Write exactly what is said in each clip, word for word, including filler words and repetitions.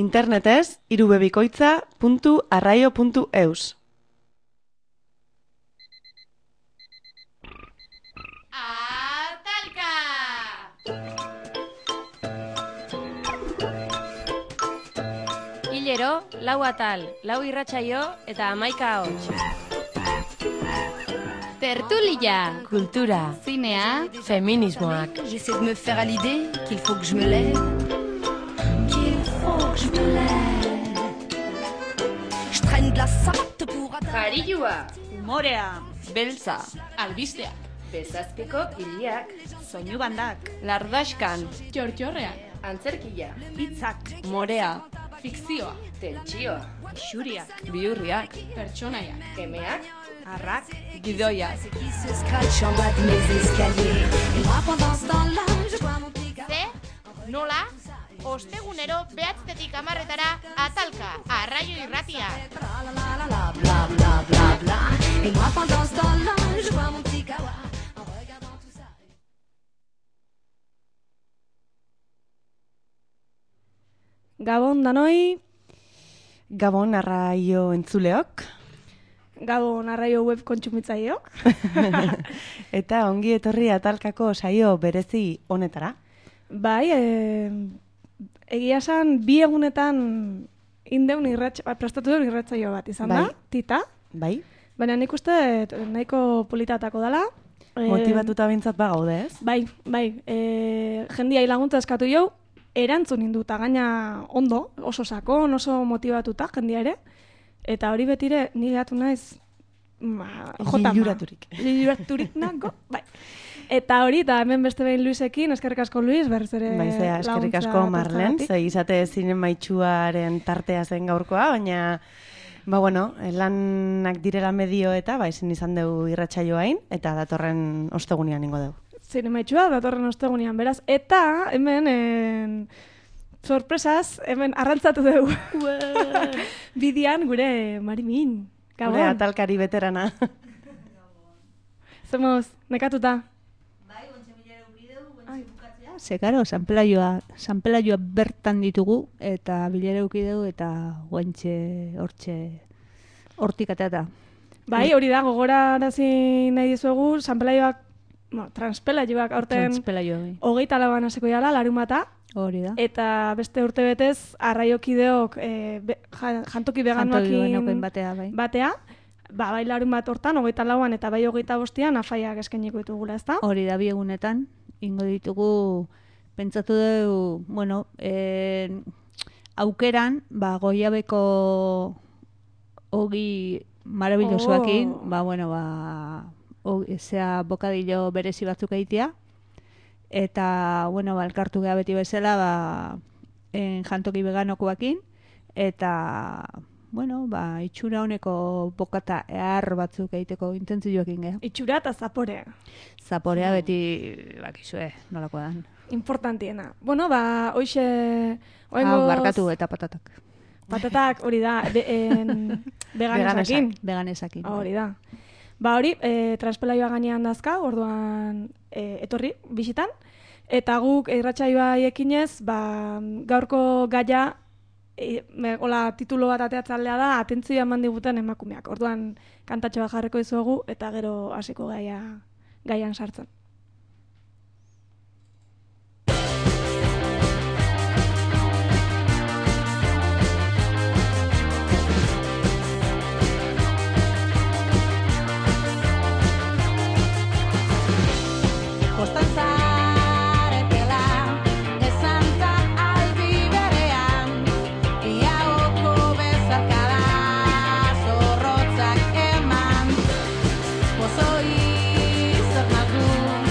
Internetez irubebikoitza puntu arraio puntu eus. Atalka! Hilero, lau atal, lau irratsaio eta hamaika ahots. Tertulia, kultura, zinea, feminismoak. J'essaie de me faire à l'idée qu'il faut que je me lève, qu'il faut que je me lève. Je traîne de la savate pour atteindre. Jarioa, Umorea, beltza, albistea, bezazpeko hiliak, soinu bandak, lardaxkan, txortxorrean, antzerkia, hitzak, morea, fikzioa, tentsioa, xuriak, bihurriak, pertsonaiak, emeak, arrak, gidoiak. Qui se scratch en bas de mes escaliers. Et moi pendant ce temps-là, je vois mon petit gars. Ze, nola, ostegunero behatztetik hamarretara atalka, arraio irratia. La la la la la bla bla bla bla. Et moi pendant ce temps-là, je vois mon petit kawa. En regardant tout ça. Gabon danoi, Gabon arraio entzuleok. Gabon arraio web kontsumitzaileok. Eta ongi etorri atalkako saio berezi honetara. Bai, e, egia esan bi egunetan indeun irratx, prestatu duen irratzaio bat izan da, Bai. tita. Bai, Baina nik uste nahiko politatako dela. E, motibatuta bintzat ba gaude, ez? Bai, bai, e, jendiai laguntza eskatu jau, erantzun induta, gaina ondo, oso sakon, oso motibatuta jendia ere. Eta hori betire, ni gehatu naiz, ma, jotama. Liluraturik. Liluraturik nago, bai. Eta hori, eta hemen beste behin Luisekin, eskerrik asko Luis, berriz ere Baizea, eskerrik asko Marlen, ze izate zinen maitxuaren tartea zen gaurkoa, baina, ba bueno, lanak direla medio eta, ba, ezin izan dugu irratsaioain, eta datorren ostegunean ingo dugu. Zinemaitxua, datorren ostegunean, beraz. Eta hemen, en, sorpresaz, hemen arrantzatu dugu. Bidian gure Marimin. Gabon. Gure atalkari veterana. Zemoz, nekatuta. Ze, karo, sanpelaioa, sanpelaioa bertan ditugu, eta bilera eduki dugu, eta guantxe, hortxe, hortik ateata. Bai, hori da, gogorarazi nahi dizuegu, sanpelaioak, bueno, transpelaioak aurten Transpelaioa, bai. hogeita lauan hasiko jala, larun bata, Hori da. eta beste urte betez, arraiokideok e, be, ja- jantoki veganoakin Veganoekin batea, bai. batea, ba, bai larun bat hortan, hogeita lauan eta bai hogeita bostian afaiak eskainiko ditugula, ezta? Hori da, bi egunetan, ingo ditugu, pentsatu dugu, bueno, en, aukeran, ba, goiabeko ogi marabillosoakin, Oh. ba, bueno, ba, ogi, zea bokadillo berezi batzuk egitea, eta, bueno, ba, elkartu geha beti bezala, ba, en, jantoki veganokoakin, eta, bueno, ba, itxura honeko bokata ehar batzuk egiteko intentzioekin geha. Itxura eta zaporea. Zaporea beti, bakizue, nolako dan. Importantiena. Bueno, ba, hoxe... Ah, barkatu eta patatak. Patatak hori da, be, en, veganesakin. Veganesakin. Hori da. Ba hori, e, transpelaioa gainean dazka, orduan e, etorri, bisitan. Eta guk irratsaioa ekinez, ba, gaurko gaia, e, me, hola, titulo bat ateatzalea da, atentzioa eman diguten emakumeak. Orduan kantatxo bat jarriko dizuegu, eta gero hasiko gaia, gaian sartzen. Zaretela, ezantza aldi berean, iaoko bezarkada zorrotzak eman, pozoi zer nagun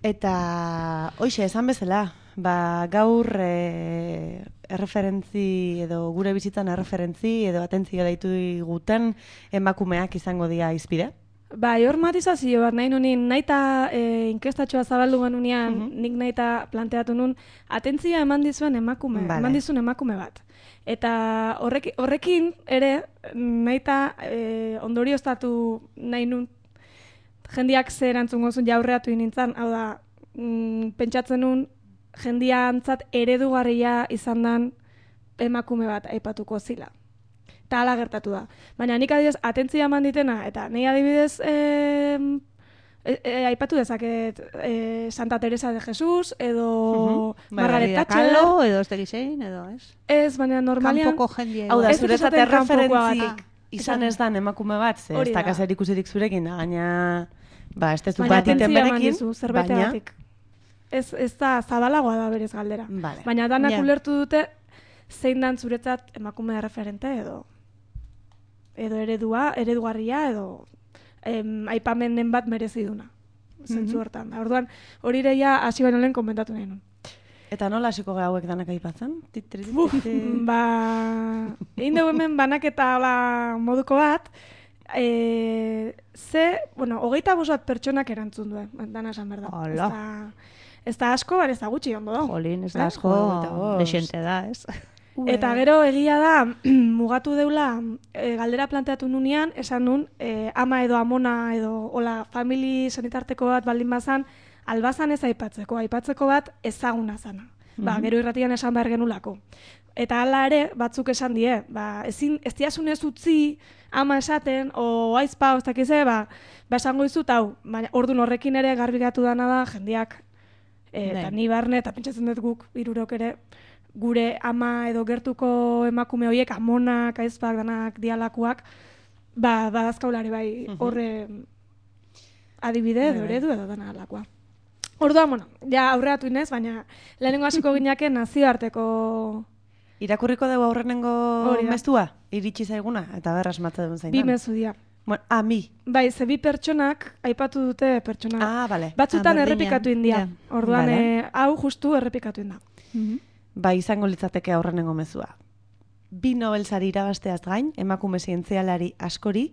Eta, hoxe, esan bezala, ba, gaur e, erreferentzi edo gure bizitzan erreferentzi edo atentzia deitu diguten emakumeak izango dira izpide. Bai, hor matizazio bat nahi nunin, nahi eta e, inkestatxoa zabaldu genunean, Mhm. nik nahi eta planteatu nun, atentzia eman dizuen emakume, Vale. eman dizuen emakume bat. Eta horrek, horrekin ere, nahi eta e, ondorioztatu nahi nun, jendiak ze erantzungo zuen jaurreatu nintzen, hau da, mm, pentsatzen nun, jendia antzat eredugarria izan dan emakume bat aipatuko zila. Eta hala gertatu da. Baina nik adibidez, atentzia eman ditena, eta nahi adibidez e, e, e, aipatu dezaket e, Santa Teresa de Jesus, edo Mhm. Bai, Margaret Frida Thatcher. Kahlo, edo ez tegizein, edo ez? Ez, baina normalian... Kanpoko jendia. Hau da, Ez zuretzat esaten kanpokoa erreferentzik bat. izan ez dan emakume bat, ze ez Hori da. dakazer ikusirik zurekin, da, gaina, ba, ez tezu Baina bat iten atentzia eman berekin, dizu, baina, zerbaitegatik. Ez, ez da zabalagoa da berez galdera. Vale. Baina danak Ja. ulertu dute zein dan zuretzat emakume referente edo edo eredua, eredugarria edo em, aipamenden bat merezi duna. Zentzu hortan. Da, orduan, hori ere ja hasi baino lehen komentatu nahi nun. Eta nola hasiko gara hauek danak aipatzen? Tit, trit, tit, Buf, tit. ba, egin dugu hemen banaketa hola moduko bat, e, ze, bueno, hogeita bost bat pertsonak erantzun duen, dana esan behar da. Hala. Ez da, ez da asko, baina ez da gutxi ondo dago. Jolín, ez Eh? da asko, Hogeita bost. desente da, ez? Eta gero egia da, mugatu deula, e, galdera planteatu nunean, esan nun, e, ama edo amona edo, hola, famili sanitarteko bat baldin bazan, albazan ez aipatzeko, aipatzeko bat ezaguna zana. Ba, gero irratian esan behar genulako. Eta hala ere, batzuk esan die, ba, ezin, ez diasunez utzi ama esaten, o aizpa, ez dakize, ba, ba esango izut, hau, baina ordun horrekin ere garbigatu dana da, jendiak, e, eta Bai. ni barne, eta pentsatzen dut guk, hirurok ere, gure ama edo gertuko emakume horiek, amonak, aizpak, danak, dialakuak, ba, badazkaulare bai horre adibide edo Bai, bai. eredu edo dana alakoa. Orduan, bueno, ja aurreatu inez, baina lehenengo hasiko ginake nazioarteko Irakurriko dugu aurrenengo Hori da. mestua, iritsi zaiguna, eta berra asmatze duen zain. bi mezu dira. Bueno, ah, mi. Bai, ze bi pertsonak aipatu dute pertsona. Ah, bale. Batzutan Ah, berdina. errepikatu india. Ja. Orduan, Vale. eh, hau justu errepikatu inda. Ba, izango litzateke aurrenengo mezua. Bi Nobel sari irabazteaz gain, emakume zientzialari askori,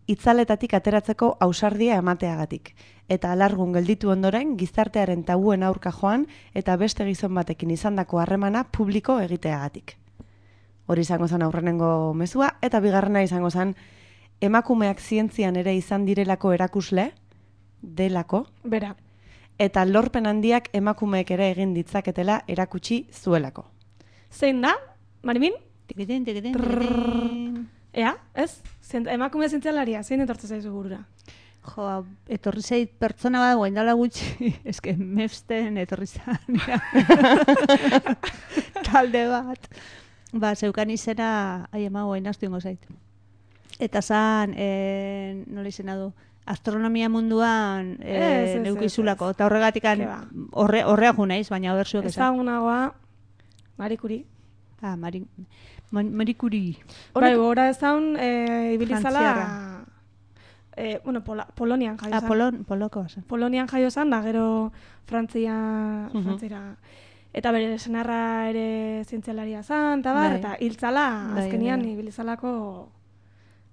itzaletatik ateratzeko ausardia emateagatik. Eta alargun gelditu ondoren, gizartearen tabuen aurka joan, eta beste gizon batekin izandako harremana publiko egiteagatik. Hori izango zen aurrenengo mezua, eta bigarrena izango zen, emakumeak zientzian ere izan direlako erakusle, delako, Bera. eta lorpen handiak emakumeek ere egin ditzaketela erakutsi zuelako. Zein da? Marimin? Tikitin, tikitin, tikitin. Ea, ez? Zient, emakume zientzialaria, zein etortzen zaizu burura? Jo, etorri zait pertsona bat, guain dala gutxi, eske mefsten etorri zan, ja. talde bat. Ba, zeukan izena, ai ema, guain astu ingo zait. Eta zan, e, nola izena du, astronomia munduan Ez, ez, e, ez, neukizulako, ez. eta horregatikan Ke ba. horre, horrea ju naiz, baina berzuek esan. Ezagunagoa, Marie Curie. Ah, Mari, Man- Marie Curie. Bai, gora ezagun, e, ibilizala, Frantziarra. e, bueno, Pola, Polonian jaio Ah, zan. Polon, poloko zen. Polonian jaio zan, da gero Frantzia, Mhm. Frantzira. Eta bere senarra ere zientzialaria zan, eta bar, Bai. eta hiltzala, Bai, azkenian bai. ibilizalako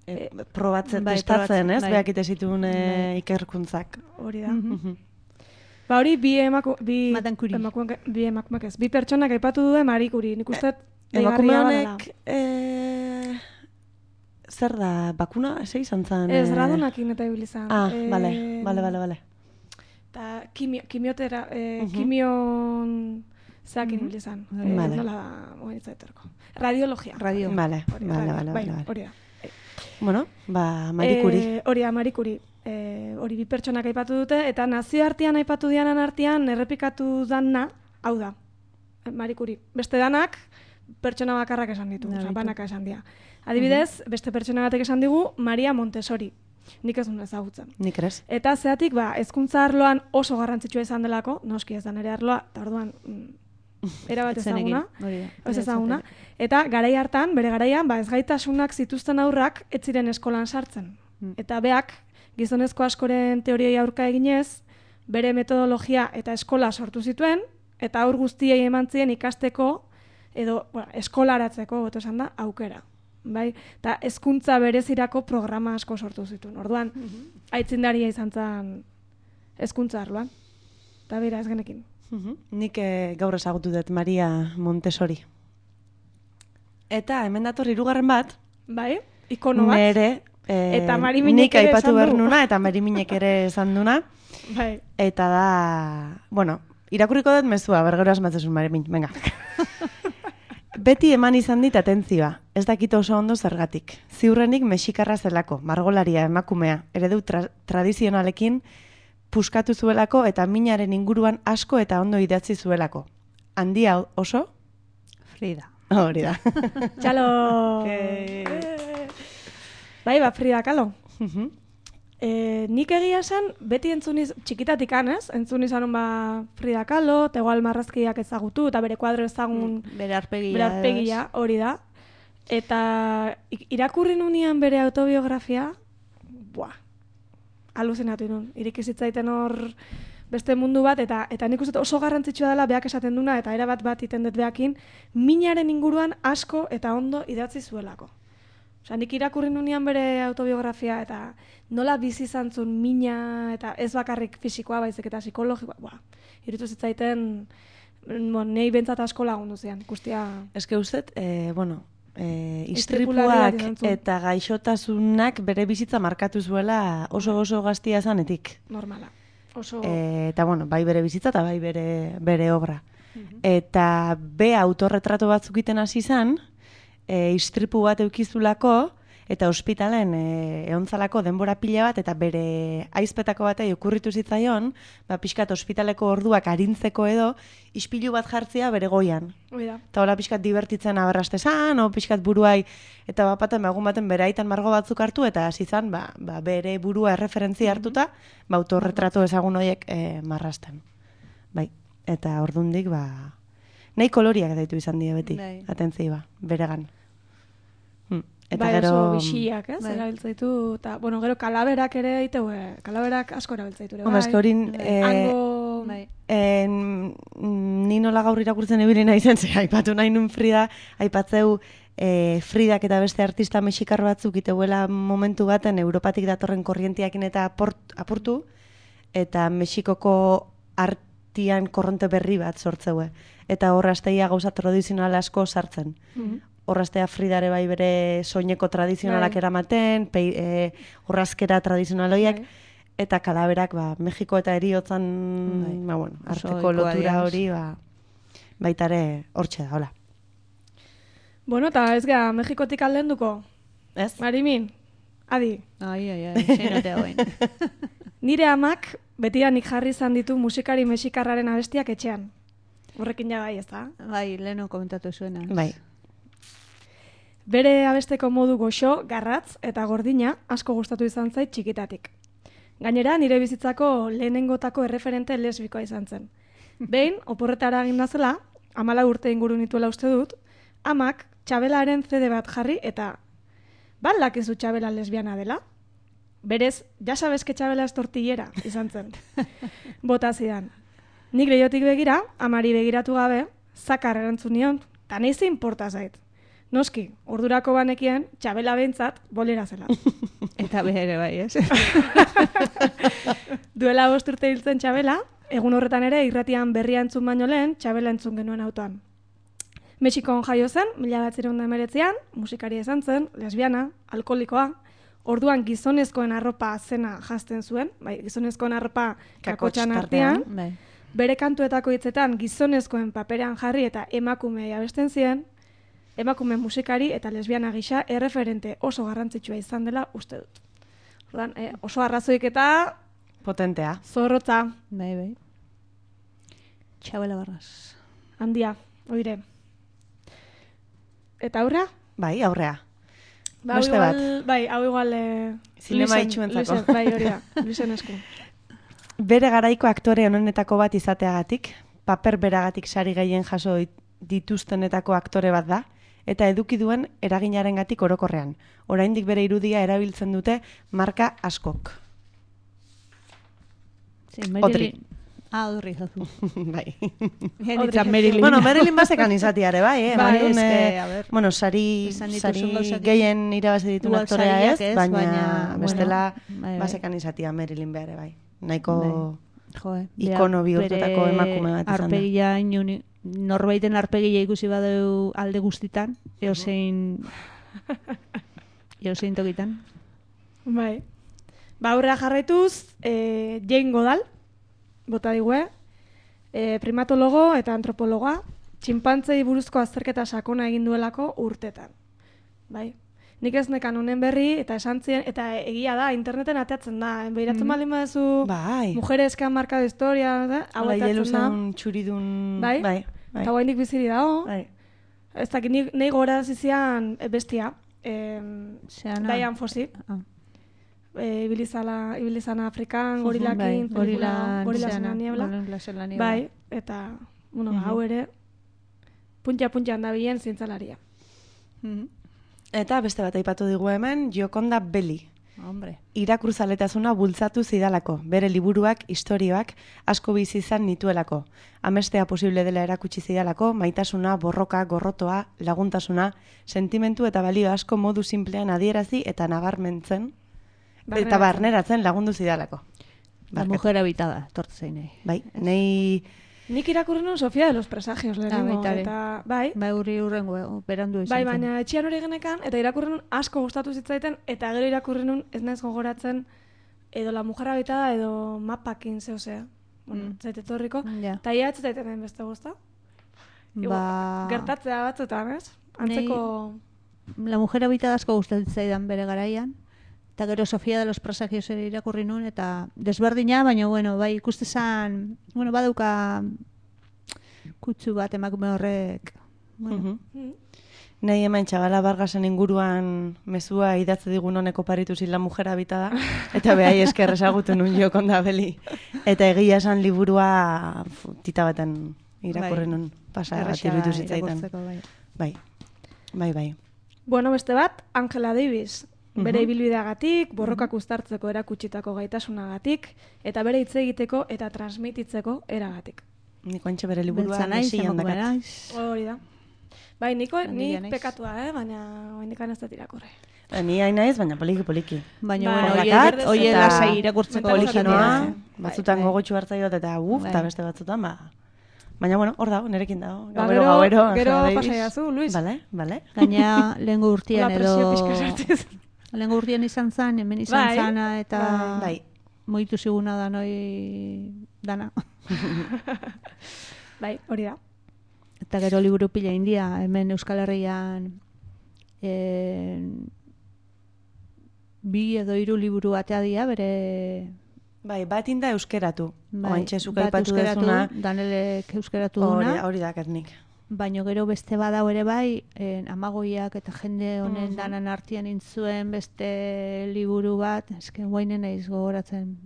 E, probatzen, bai, testatzen, probatzen, ez? bai. Beak ite zituen e, Bai. ikerkuntzak. hori da. Mhm. Ba hori bi emaku, bi Madame Curie. emakumeak, bi emakumeak ez. Bi pertsonak aipatu du Marie Curie. Nik uste Emakume deigarria honek, e, zer da, bakuna, ze izan zen? Ez, e? radonakin eta ibili zan. Ah, Eh, bale, bale, bale, bale. Eta kimio, kimiotera, eh, Mhm. kimion zeakin ibili zan. Eh, Vale. Nola da, moen izaiterko. Radiologia. Radio. Bale, Hori, bale, radio. bale, Bai, bale, bale. hori da. Bueno, ba, Marie Curie. Eh, hori da, Marie Curie. Eh, hori bi pertsonak aipatu dute, eta nazioartean aipatu dianan artean errepikatu dana, hau da, Marie Curie. Beste danak, pertsona bakarrak esan ditu, Da, osea, ditu. banaka esan dira. Adibidez, beste pertsona batek esan digu, Maria Montessori. Nik ez duen ezagutzen. Nik ere. Eta zeatik, ba, hezkuntza arloan oso garrantzitsua izan delako, noski ez da nere arloa, eta orduan, mm, erabat Etzenekin, ezaguna, hori da. ez ezaguna. Eta garai hartan, bere garaian, ba, ezgaitasunak zituzten aurrak ez ziren eskolan sartzen. Mm. Eta beak, gizonezko askoren teoriai aurka eginez, bere metodologia eta eskola sortu zituen, eta aur guztiei eman zien ikasteko, edo bueno, eskolaratzeko, beto esan da, aukera. Bai? Eta hezkuntza berezirako programa asko sortu zituen. Orduan, aitzindaria izan zen hezkuntza arloan. Eta bera ez genekin. Mhm. Nik eh, gaur ezagutu dut Maria Montessori. Eta hemen dator hirugarren bat, Bai? Ikono bat. nere eh, Eta Mariminek nik ere aipatu esan du. behar nuna, eta Mariminek ere esan duna. Bai. Eta da, bueno, irakurriko dut mezua, bergero asmatzezun Marimin, venga. Beti eman izan dit atentzioa, ez dakit oso ondo zergatik. Ziurrenik mexikarra zelako, margolaria emakumea, eredu tra tradizionalekin puskatu zuelako eta minaren inguruan asko eta ondo idatzi zuelako. Handia oso? Frida. Hori da. Txalo! Okay. Eh. Bai, ba, Frida Kahlo. Mhm. E, nik egia esan, beti entzuniz, txikitatik anez, entzun izan ba Frida Kahlo, eta igual marrazkiak ezagutu, eta bere kuadro ezagun Bere arpegia. bere aurpegia, hori da. Eta i- irakurri nunean bere autobiografia, buah, aluzinatu nun. Iriki zitzaiten hor beste mundu bat, eta eta nik uste dut oso garrantzitsua dela beak esaten duna, eta erabat bat iten dut beakin, minaren inguruan asko eta ondo idatzi zuelako. Osa, nik irakurri nunean bere autobiografia, eta nola bizi izan zuen mina, eta ez bakarrik fisikoa, baizik eta psikologikoa, buah, irutu zitzaiten, bon, nei bentsat asko lagundu zian, guztia. Eske ustet, eh, bueno, eh, Istripulariak istripuak izan zuen. eta gaixotasunak bere bizitza markatu zuela oso oso gaztia zanetik. Normala. Oso... E, eta bueno, bai bere bizitza eta bai bere, bere obra. Eta be autorretrato batzuk iten hasi izan, e, istripu bat eukizulako, eta ospitalen e, eontzalako denbora pila bat, eta bere aizpetako batei okurritu zitzaion, ba, pixkat ospitaleko orduak arintzeko edo, ispilu bat jartzea bere goian. Hoi da. Eta hola pixkat divertitzen aberrastezan, o pixkat buruai, eta bapaten egun baten bere aitan margo batzuk hartu, eta hasi zan, ba, ba, bere burua erreferentzia hartuta, ba, autorretrato ezagun horiek e, marrasten. Bai, eta ordundik, ba, nahi koloriak daitu izan die beti, Bai. atentzia ba, beregan. Hm. Eta Bai, gero... oso bixiak, ez? Bai. Erabiltzaitu, eta, bueno, gero kalaberak ere eitu, eh, kalaberak asko erabiltzaitu ere, Hombre, eske hori, eh, Hango... Bai. En, ni nola gaur irakurtzen ibili naizen, ze aipatu nahi nun Frida, aipatzeu e, Fridak eta beste artista mexikar batzuk iteuela momentu baten Europatik datorren korrientiakin eta aport, apurtu, eta Mexikoko artian korronte berri bat sortzeue. Eta horra asteia gauza tradizional asko sartzen. Mhm. Horraztea Fridare bai bere soineko tradizionalak Bai. eramaten, pei, e, horrazkera tradizionaloiak, Bai. eta kalaberak, ba, Mexiko eta heriotzan, Bai. ba, bueno, Oso arteko ohikoa lotura dira. hori, ba, baitare hortxe da, hola. Bueno, eta ez gara, Mexikotik aldenduko. Ez? Marimin, adi. Ai, ai, ai, zeinote hauen. Nire amak betidanik jarri izan ditu musikari mexikarraren abestiak etxean. Horrekin ja bai, ez da? Bai, leheno komentatu zuena. Bai. Bere abesteko modu goxo, garratz eta gordina asko gustatu izan zait txikitatik. Gainera, nire bizitzako lehenengotako erreferente lesbikoa izan zen. Behin, oporretara egin zela, amala urte inguru nituela uste dut, amak Txabelaren C D bat jarri eta balak ez du Txabela lesbiana dela? Berez, ja sabes que Txabela es tortillera izan zen. Bota zidan. Nik lehiotik begira, amari begiratu gabe, zakar erantzun nion, eta nahi ze inporta zait. Noski, ordurako banekien, Txabela behintzat, bolera zela. Eta bere bai, ez? Duela bost urte hiltzen Txabela, egun horretan ere irratian berria entzun baino lehen, Txabela entzun genuen autoan. Mexikon jaio zen, mila batzirehun eta hemeretzian, musikaria izan zen, lesbiana, alkoholikoa, orduan gizonezkoen arropa zena jazten zuen, bai, gizonezkoen arropa kakotxan artean, Bai. bere kantuetako hitzetan gizonezkoen paperean jarri eta emakumea abesten zien, emakume musikari eta lesbiana gisa erreferente oso garrantzitsua izan dela uste dut. Orduan, eh, oso arrazoik eta Potentea. zorrotza, Bai, bai. Txabela barraz. handia, oire. Eta aurrea? Bai, aurrea. Ba, hau Beste igual, bat. bai, hau igual... Eh, Zinema Luisen- itxuentzako. Luisen, bai, hori da, Luisen esku. Bere garaiko aktore onenetako bat izateagatik, paper beragatik sari gehien jaso dit- dituztenetako aktore bat da, eta eduki duen eraginarengatik orokorrean. Oraindik bere irudia erabiltzen dute marka askok. Sí, Marilyn... Otri. Ah, Odri, jozu. Bai. Genitzen Marilyn. Bueno, Marilyn bazekan izatiare, bai, eh? Bai, Eman duen, eske, eh, a ber, bueno, sari, esan dituzun sari gauzak- gehien irabazi ditu Igual aktorea sariak ez, ez, baina, baina, bestela bueno, bai, bai. bazekan izatia Marilyn behar, bai. Nahiko Jo, eh, ikono bihurtutako bere emakume bat izan da. Arpegia inuni, norbaiten arpegia ikusi badeu alde guztitan, eozein eozein tokitan. Bai. Ba, aurrera jarraituz, eh, Jane Goodall, bota digue, eh, primatologo eta antropologoa, txinpantzei buruzko azterketa sakona egin duelako urtetan. Bai. Nik ez nekan honen berri, eta esan zien, eta egia da, interneten ateatzen da. Behiratzen baldin baduzu, Bai. mujeres que han marcado historia, da? Hau Hala, ateatzen da. jeluzan txuridun... Bai? Bai, bai. Eta guaindik biziri dago. Bai. Ez dakit, ni- nahi gora zizian eh, bestia. Em, Zeana? Diane Fossey. Ah. E, ibilizala, ibilizana Afrikan, gorilakin, Bai, pelikula, gorila gorilas en zeana, la niebla. gorilas en la niebla. Bai, eta, bueno, ba, hau ere, puntxa-puntxan da bilen zientzalaria. Mhm. Eta beste bat aipatu digu hemen, Gioconda Belli. Hombre. Irakurzaletasuna bultzatu zidalako, bere liburuak, istorioak asko bizi izan nituelako. Amestea posible dela erakutsi zidalako, maitasuna, borroka, gorrotoa, laguntasuna, sentimentu eta balio asko modu simplean adierazi eta nabarmentzen, eta barneratzen lagundu zidalako. La Barkatu. mujer habitada, tortu zein nahi. Bai, nei... Nik irakurri nun Sofia de los Presagios lehenengo, baita ere. eta, bai, Bai, urri urrengo, berandu izan bai, zen. baina etxean hori genekan, eta irakurri nun asko gustatu zitzaiten, eta gero irakurri nun ez naiz gogoratzen edo La Mujer Habitada edo Mapakin zehosea. Bueno, Mm. zaite etorriko. Ja. Eta ia ez zaiten beste guzta. Ba... Gertatzea batzutan, ez? Antzeko... La mujer habitada asko gustatzen zaidan bere garaian. Eta gero Sofia de los Presagios ere irakurri nun, eta desberdina, baina, bueno, bai, ikuste zan, bueno, badauka kutsu bat emakume horrek. Bueno, Mhm. Nei hemen Txabala Vargasen inguruan mezua idatze digun honeko paritu zin La Mujer Habitada, eta behai esker ezagutu nun Gioconda Belli. Eta egia esan liburua fu, tita baten irakurri Bai. nun pasa bat erraza iruditu zitzaitan. irakurtzeko, bai. Bai, bai, bai. Bueno, beste bat, Angela Davis. Bere Mhm. ibilbideagatik, borrokak uztartzeko erakutsitako gaitasunagatik, eta bere hitz egiteko eta transmititzeko eragatik. Niko antxe bere liburua Beltza naiz, mesian emakume dakat. naiz. Hori da. Bai, niko, Handia nik naiz. pekatua, eh? Baina oindikan ez dut irakurri. Ba, Ni hain naiz, baina poliki, poliki. Baina, Bai. bueno, Dakat, oie, oie eta lasai irakurtzeko mentalizatu Poliki noa, Bai, batzutan bai. gogotxu hartzaiot eta uf, eta Bai. beste batzutan, ba... Baina, bueno, hor dago, nerekin dago. Ba, Gauero, gero- gauero, gero Angela Davis. pasaiazu, Luis. Bale, bale. Gaina lehengo urtian Hola, presio edo... pixka sartez. Lehengo urtian izan zan, hemen izan Bai, zana, eta Bai. moitu ziguna da noi dana. Bai, hori da. Eta gero liburu pila india, hemen Euskal Herrian en, bi edo hiru liburu atea dira, bere... Bai, bat inda euskeratu. Bai, Oantxe zuk bat aipatu euskeratu, dezuna, Danelek euskeratu hori, duna, hori dakat nik. baino gero beste badau ere bai, en, amagoiak eta jende honen Mhm. danan artean intzuen beste liburu bat, eske guainen naiz gogoratzen.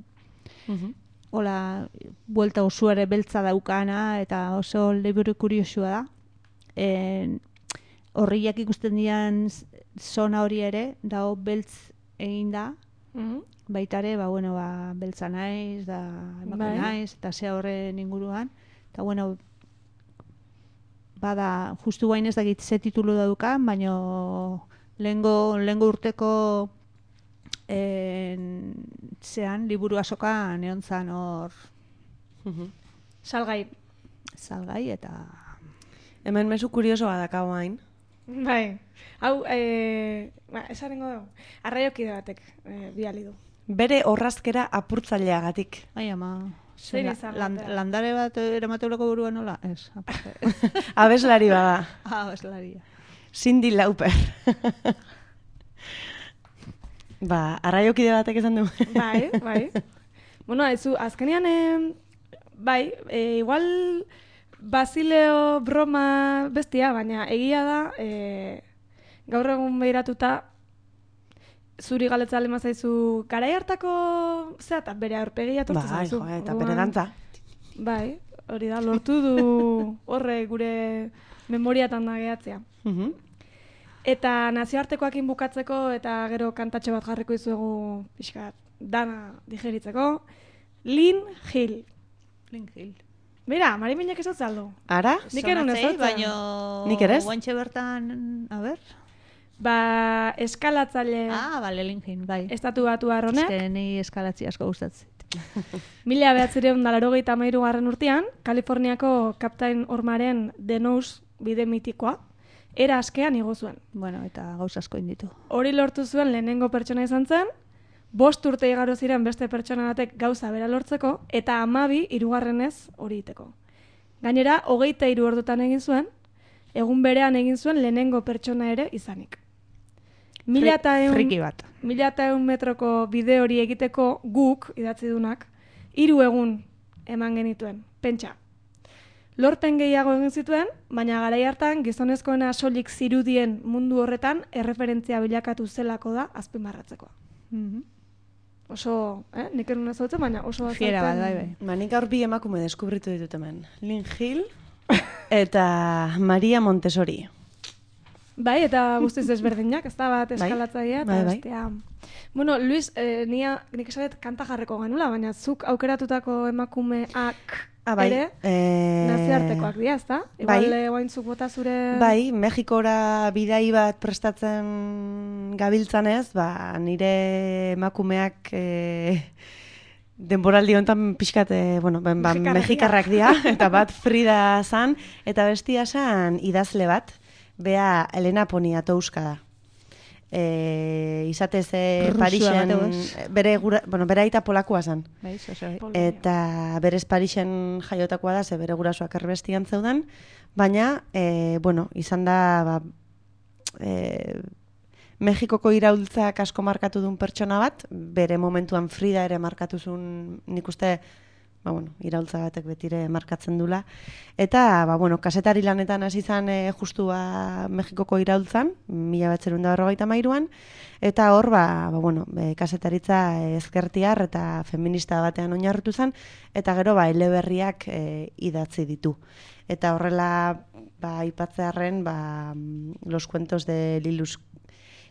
Mhm. Hola, buelta oso ere beltza daukana, eta oso liburu kuriosua da. En, horriak ikusten dian zona hori ere, dago beltz egin da, Mhm. baitare, ba, bueno, ba, beltza naiz, da, emakume Bai. naiz, eta ze horren inguruan. Eta, bueno, bada, justu guain ez dakit ze titulu daukan, baino lehengo, lehengo urteko en, zean, liburu asokan egon zan hor Mhm. Salgai. salgai, eta... Hemen mezu kurioso badakau hain. Bai. Hau, eh, ba, esarengo dugu. Arraiokide batek eh, biali du. Bere horrazkera apurtzaileagatik. Ai, ama... Zein la- izan lan- batea? landare bat eramateuleko burua nola? Ez, aparte. Abeslari bada. ah, eslaria. Cindy Lauper. Ba, arraiokide batek esan du. Bai, bai. Bueno, aizu, azkenean, eh, bai, eh, igual Basileo broma bestia, baina egia da, eh, gaur egun behiratuta, zuri galetza lema zaizu, garai hartako, zera, eta bere aurpegia tortu Bai, zaizu. jo, eta Orduan, bere dantza. Bai, hori da, lortu du horre gure memoriatan da gehatzea. Mhm. Eta nazioartekoakin bukatzeko eta gero kantatxo bat jarriko izuegu pixkat dana digeritzeko. Lynn Hill. Lynn Hill. Mira, Mari Minak ez aldo. Ara? Nik erun ez Sonatzei, dut. baino... Nik ere ez? Guantxe bertan, a ber... Ba, eskalatzaile Ah, bale, Lynn Hill, bai. estatu batu honek. Eske ni eskalatzi asko gustatzen. Mila behatzireun da laurogeita hamairu garren urtean, Kaliforniako Kaptain Ormaren Denous bide mitikoa, era askean igo zuen. Bueno, eta gauza asko inditu. Hori lortu zuen lehenengo pertsona izan zen, bost urte igaro ziren beste pertsona batek gauza bera lortzeko, eta hamabi hirugarrenez hori iteko. Gainera, hogeita hiru ordutan egin zuen, egun berean egin zuen lehenengo pertsona ere izanik. Mila eta eun, Friki bat. mila eta eun metroko bide hori egiteko guk, idatzi dunak, hiru egun eman genituen, pentsa. Lorpen gehiago egin zituen, baina garai hartan gizonezkoena soilik zirudien mundu horretan erreferentzia bilakatu zelako da azpimarratzekoa. Mhm. Oso, eh, nik erun ez dutzen, baina oso Fiera bat, azalpen- bai, bai. Ba, nik gaur bi emakume deskubritu ditut hemen. Lynn Hill eta Maria Montessori. Bai, eta guztiz desberdinak, ez da bat Bai, eskalatzailea, eta bai, bai. bestea. Bueno, Luis, eh, nia, nik esaret kanta jarreko genula, baina zuk aukeratutako emakumeak Ah, bai. ere eh, nazioartekoak dira, ez da? bai. Igual, eh, oain zuk bota zure... Bai, Mexikora bidai bat prestatzen gabiltzanez, ba, nire emakumeak e, denboraldi honetan pixkat, e, bueno, ben, ba, Mexikarrak mexikarrak dira, eta bat Frida zan, eta bestia zan idazle bat, bea Elena Poniatowska da. E, izatez e, Rusua Parisen, bateu ez? bere, gura, bueno, bere aita polakoa zan. Bai, oso, bai. Polonia. Eta berez Parisen jaiotakoa da, ze bere gurasoak erbestian zeuden, baina, e, bueno, izan da, ba, e, Mexikoko iraultzak asko markatu duen pertsona bat, bere momentuan Frida ere markatu zuen, nik uste, ba, bueno, iraultza batek betire markatzen dula. Eta, ba, bueno, kasetari lanetan hasi zan e, justu ba, Mexikoko iraultzan, mila batzerun da berrogeita hamairuan, eta hor, ba, ba, bueno, e, kasetaritza ezkertiar eta feminista batean oinarritu zen, eta gero, ba, eleberriak e, idatzi ditu. Eta horrela, ba, aipatzearren, ba, los cuentos de Lilus,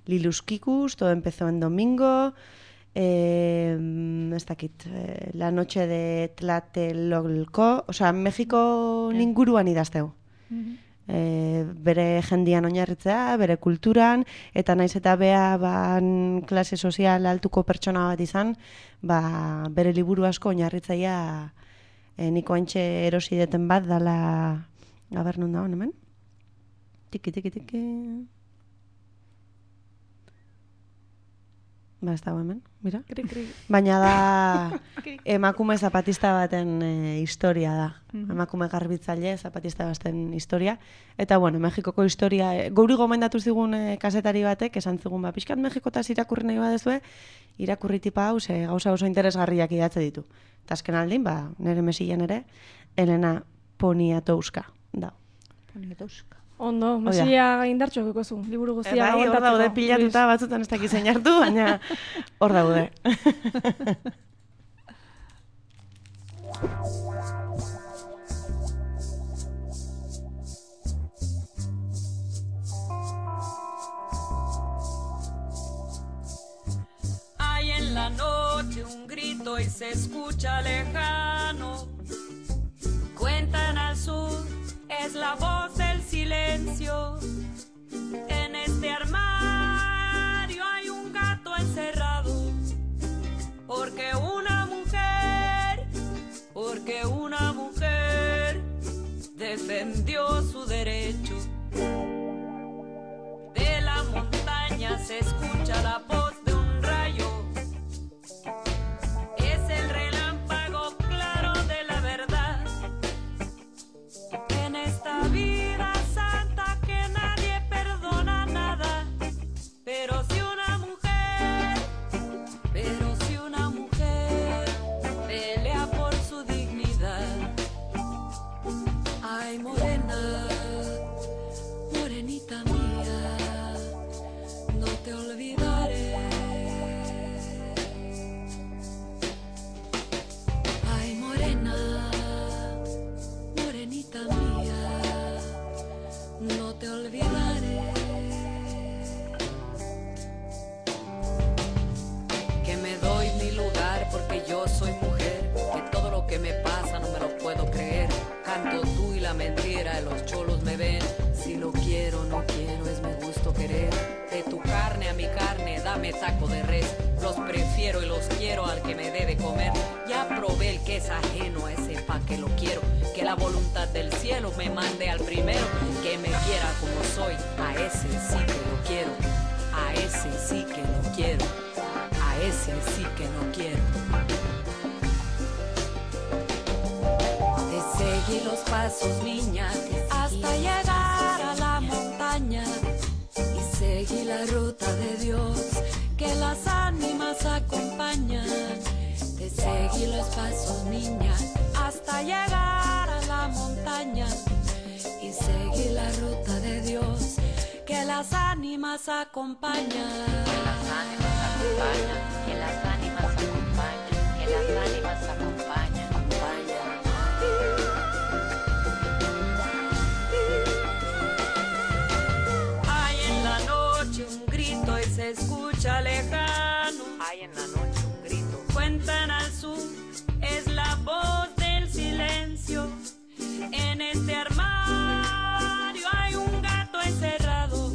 Lilus Kikus, todo empezó en domingo, Eh, ez dakit, eh, La noche de Tlatelolco, osea, Mexiko ninguruan idazteu. Eh, bere jendian oinarritzea, bere kulturan, eta naiz eta bea ban klase sozial altuko pertsona bat izan, ba, bere liburu asko oinarritzaia eh, niko haintxe erosi deten bat dala, gaber nun da hon hemen? Tiki, tiki, tiki... Ba, ez dago hemen, mira. Kri, kri. Baina da emakume zapatista baten e, historia da. Emakume garbitzaile zapatista baten historia. Eta, bueno, Mexikoko historia, e, gauri gomendatu zigun e, kasetari batek, esan zigun, ba, pixkat Mexikotaz irakurri nahi badezue, irakurri tipa hau, ze gauza oso interesgarriak idatze ditu. Eta azken aldin, ba, nire mesilen ere, Elena Poniatowska da. Poniatowska. Ondo, mesia indartxo egoko zu, liburu E, guztia bai, hor daude pilatuta batzutan ez dakiz zein hartu, baina hor daude. Hay en la noche un grito y se escucha lejano. Cuentan al sur, es la voz del silencio. En este armario hay un gato encerrado. Porque una mujer, porque una mujer defendió su derecho. De la montaña se escucha la voz de un rayo. Es el relámpago claro de la verdad. En esta vida santa que nadie perdona nada. Pero si una mujer, pero si una mujer pelea por su dignidad. Ay, morena. me taco de res. Los prefiero y los quiero al que me debe comer. Ya probé el que es ajeno a ese pa' que lo quiero. Que la voluntad del cielo me mande al primero. Que me quiera como soy, a ese sí que lo quiero. A ese sí que lo quiero. A ese sí que no quiero. Te seguí los pasos, niña, hasta llegar a la montaña. Y seguí la ruta de Dios que las ánimas acompañan. Te seguí los pasos, niña, hasta llegar a la montaña. Y seguí la ruta de Dios que las ánimas acompañan. Que las ánimas acompañan, que las ánimas acompañan, que las ánimas acompañan, acompañan. Hay en la noche un grito y se escucha lejano. Hay en la noche un grito. Cuentan al sur, es la voz del silencio. En este armario hay un gato encerrado.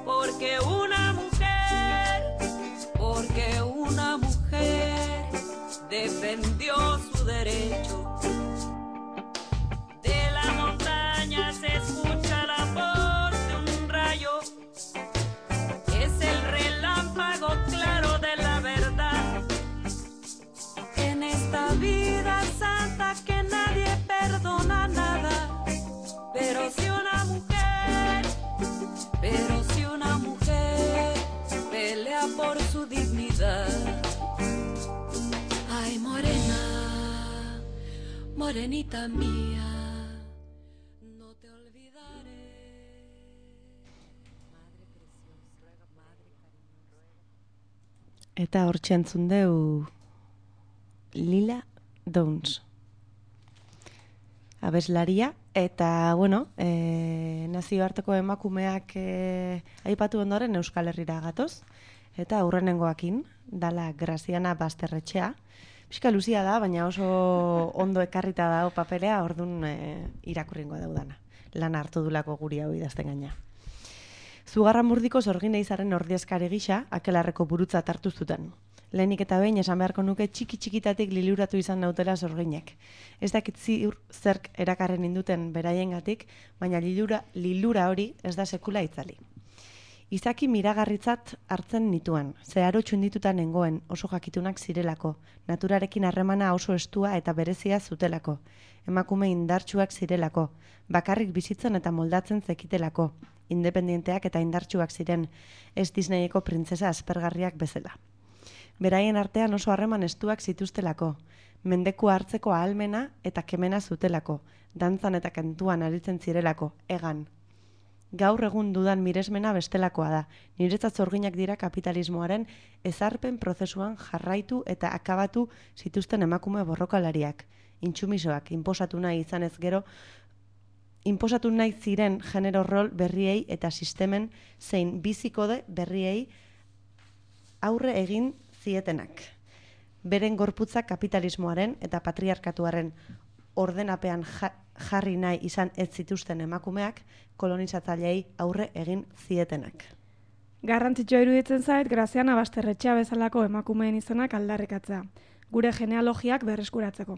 Porque una mujer, porque una mujer defendió su derecho. De la montaña se escucha la voz de un rayo. Es el relámpago claro de la verdad. En esta vida santa que nadie perdona nada. Pero si una mujer, pero si una mujer pelea por su dignidad. Ay, morena, morenita mía, no te olvidaré. Madre preciosa, madre cariño, ruega. Eta hortxe entzun deu Lila Downs. Abeslaria, eta, bueno, e, nazioarteko emakumeak e, aipatu ondoren Euskal Herrira gatoz, eta aurrenengoakin, dala Graziana Basterretxea. Pixka luzia da, baina oso ondo ekarrita dago papelea, ordun e, irakurringo daudana. Lan hartu dulako guri hau idazten gaina. Zugarramurdiko Sorgin Eizaren ordezkari gisa, Akelarreko burutza hartu zuten. Lehenik eta behin esan beharko nuke txiki-txikitatik liluratu izan nautela Sorginek. Ez dakit ziur zerk erakarren induten beraiengatik, baina lilura, lilura hori ez da sekula itzali. Izaki miragarritzat hartzen nituen, zeharo txundituta nengoen, oso jakitunak zirelako, naturarekin harremana oso estua eta berezia zutelako, emakume indartsuak zirelako, bakarrik bizitzen eta moldatzen zekitelako, independenteak eta indartsuak ziren, ez Disneyeko printzesa aspergarriak bezala. Beraien artean oso harreman estuak zituztelako, mendeku hartzeko ahalmena eta kemena zutelako, dantzan eta kantuan aritzen zirelako, egan. Gaur egun dudan miresmena bestelakoa da, niretzat Sorginak dira kapitalismoaren ezarpen prozesuan jarraitu eta akabatu zituzten emakume borrokalariak, intsumisoak, inposatu nahi izanez gero, inposatu nahi ziren genero rol berriei eta sistemen zein bizikode berriei aurre egin zietenak. Beren gorputza kapitalismoaren eta patriarkatuaren ordenapean jarri nahi izan ez zituzten emakumeak kolonizatzaileei aurre egin zietenak. Garrantzitsua iruditzen zait Graziana Basterretxea bezalako emakumeen izenak aldarrikatzea, gure genealogiak berreskuratzeko.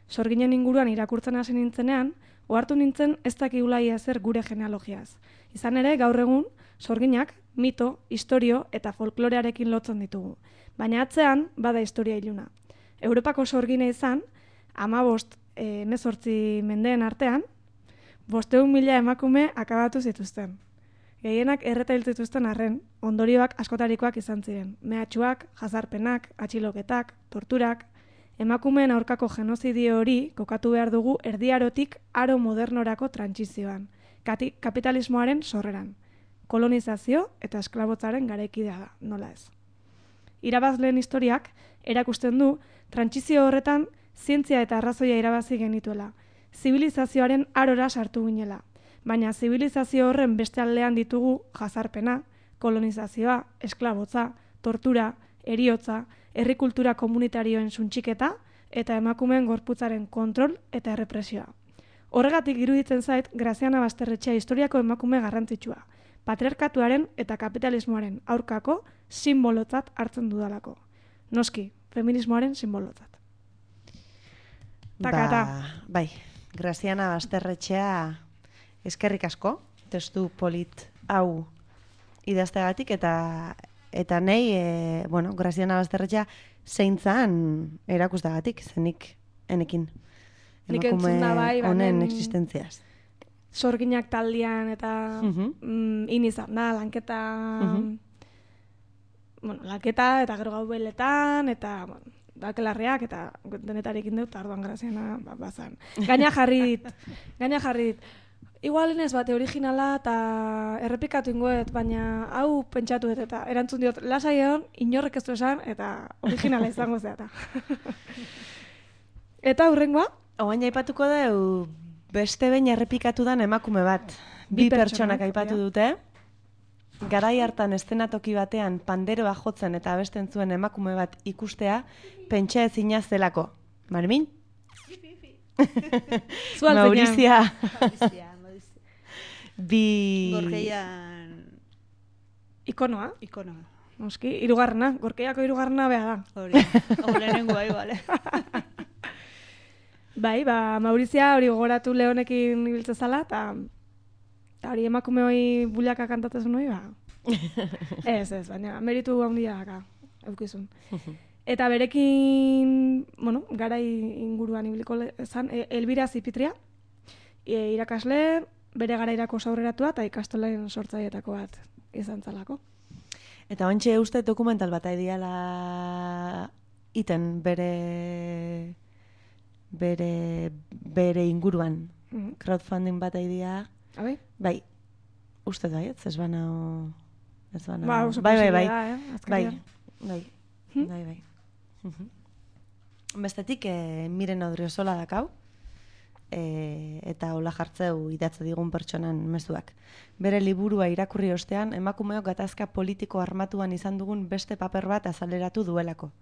Sorginen inguruan irakurtzen hasi nintzenean, ohartu nintzen ez dakigula ia zer gure genealogiaz. Izan ere, gaur egun, Sorginak mito, historio eta folklorearekin lotzen ditugu. Baina atzean, bada historia iluna. Europako sorgine izan, hamabost hemezortzi mendeen artean, bosteun mila emakume akabatu zituzten. Gehienak erreta hil zituzten arren, ondorioak askotarikoak izan ziren. Mehatxuak, jazarpenak, atxiloketak, torturak, emakumeen aurkako genozidio hori kokatu behar dugu erdiarotik aro modernorako trantsizioan, kapitalismoaren sorreran. Kolonizazio eta esklabotzaren garaikidea da, nola ez. Irabazleen historiak erakusten du trantsizio horretan zientzia eta arrazoia irabazi genituela, zibilizazioaren arora sartu ginela, baina zibilizazio horren beste aldean ditugu jazarpena, kolonizazioa, esklabotza, tortura, heriotza, herrikultura komunitarioen suntxiketa eta emakumeen gorputzaren kontrol eta errepresioa. Horregatik iruditzen zait Graziana Basterretxea historiako emakume garrantzitsua, patriarkatuaren eta kapitalismoaren aurkako simbolotzat hartzen dudalako. Noski, feminismoaren simbolotzat. Takata. Ba, bai, Graziana Basterretxea eskerrik asko, testu polit hau idazteagatik, eta eta nei, e, bueno, Graziana Basterretxea zeintzan erakustagatik, zenik enekin. Nik entzun da bai, honen banen existentziaz. Sorginak taldean eta Mhm. mm, inizan da, lanketa, Mhm. bueno, lanketa eta gero gaubeletan, eta bueno, bakelarriak eta denetarekin dut, arduan Graziana ba, bazan. Gaina jarri dit, gaina jarri dit. Igual inez bate originala eta errepikatu ingoet, baina hau pentsatu dut eta erantzun diot, lasai egon, inorrek ez du esan, eta originala izango zeata. Eta hurrengoa, Oain aipatuko deu beste behin errepikatu dan emakume bat. Bi Bi pertsonak, pertsonak aipatu ja. dute. Garai hartan estenatoki batean panderoa jotzen eta abesten zuen emakume bat ikustea, pentsa ezina zelako. Marmin? zu altzenean. Maurizia. Maurizia, Maurizia. Bi... Gorkeian Ikonoa, ikonoa. noski, hirugarrena, gorkeiako hirugarrena beha da. Hori, hau lehenengo bai, bale. Bai, ba, Maurizia hori gogoratu Leonekin ibiltze zala, eta eta hori emakume hori bulaka kantatzen hori, ba. Ez, ez, baina meritu handia daka, eukizun. Eta berekin, bueno, garai inguruan ibiliko zan, e, Elbira Zipitria, e, irakasle, bere garairako aurreratua eta ikastolen sortzailetako bat izan zalako. Eta ontxe uste dokumental bat aidiala iten bere bere bere inguruan. Mhm. Crowdfunding bat aidia. Abai? Bai. Uste da, ez? Ez banao... Ez banao... Ba, oso bai, bai, bai. posible da, eh, Bai, azkenean. bai, Hm? bai, bai. Mhm. Bestetik, eh, Miren Odriozola dakau, e, eta hola jartzeu idatze digun pertsonan mezuak. Bere liburua irakurri ostean, emakumeok gatazka politiko armatuan izan dugun beste paper bat azaleratu duelako.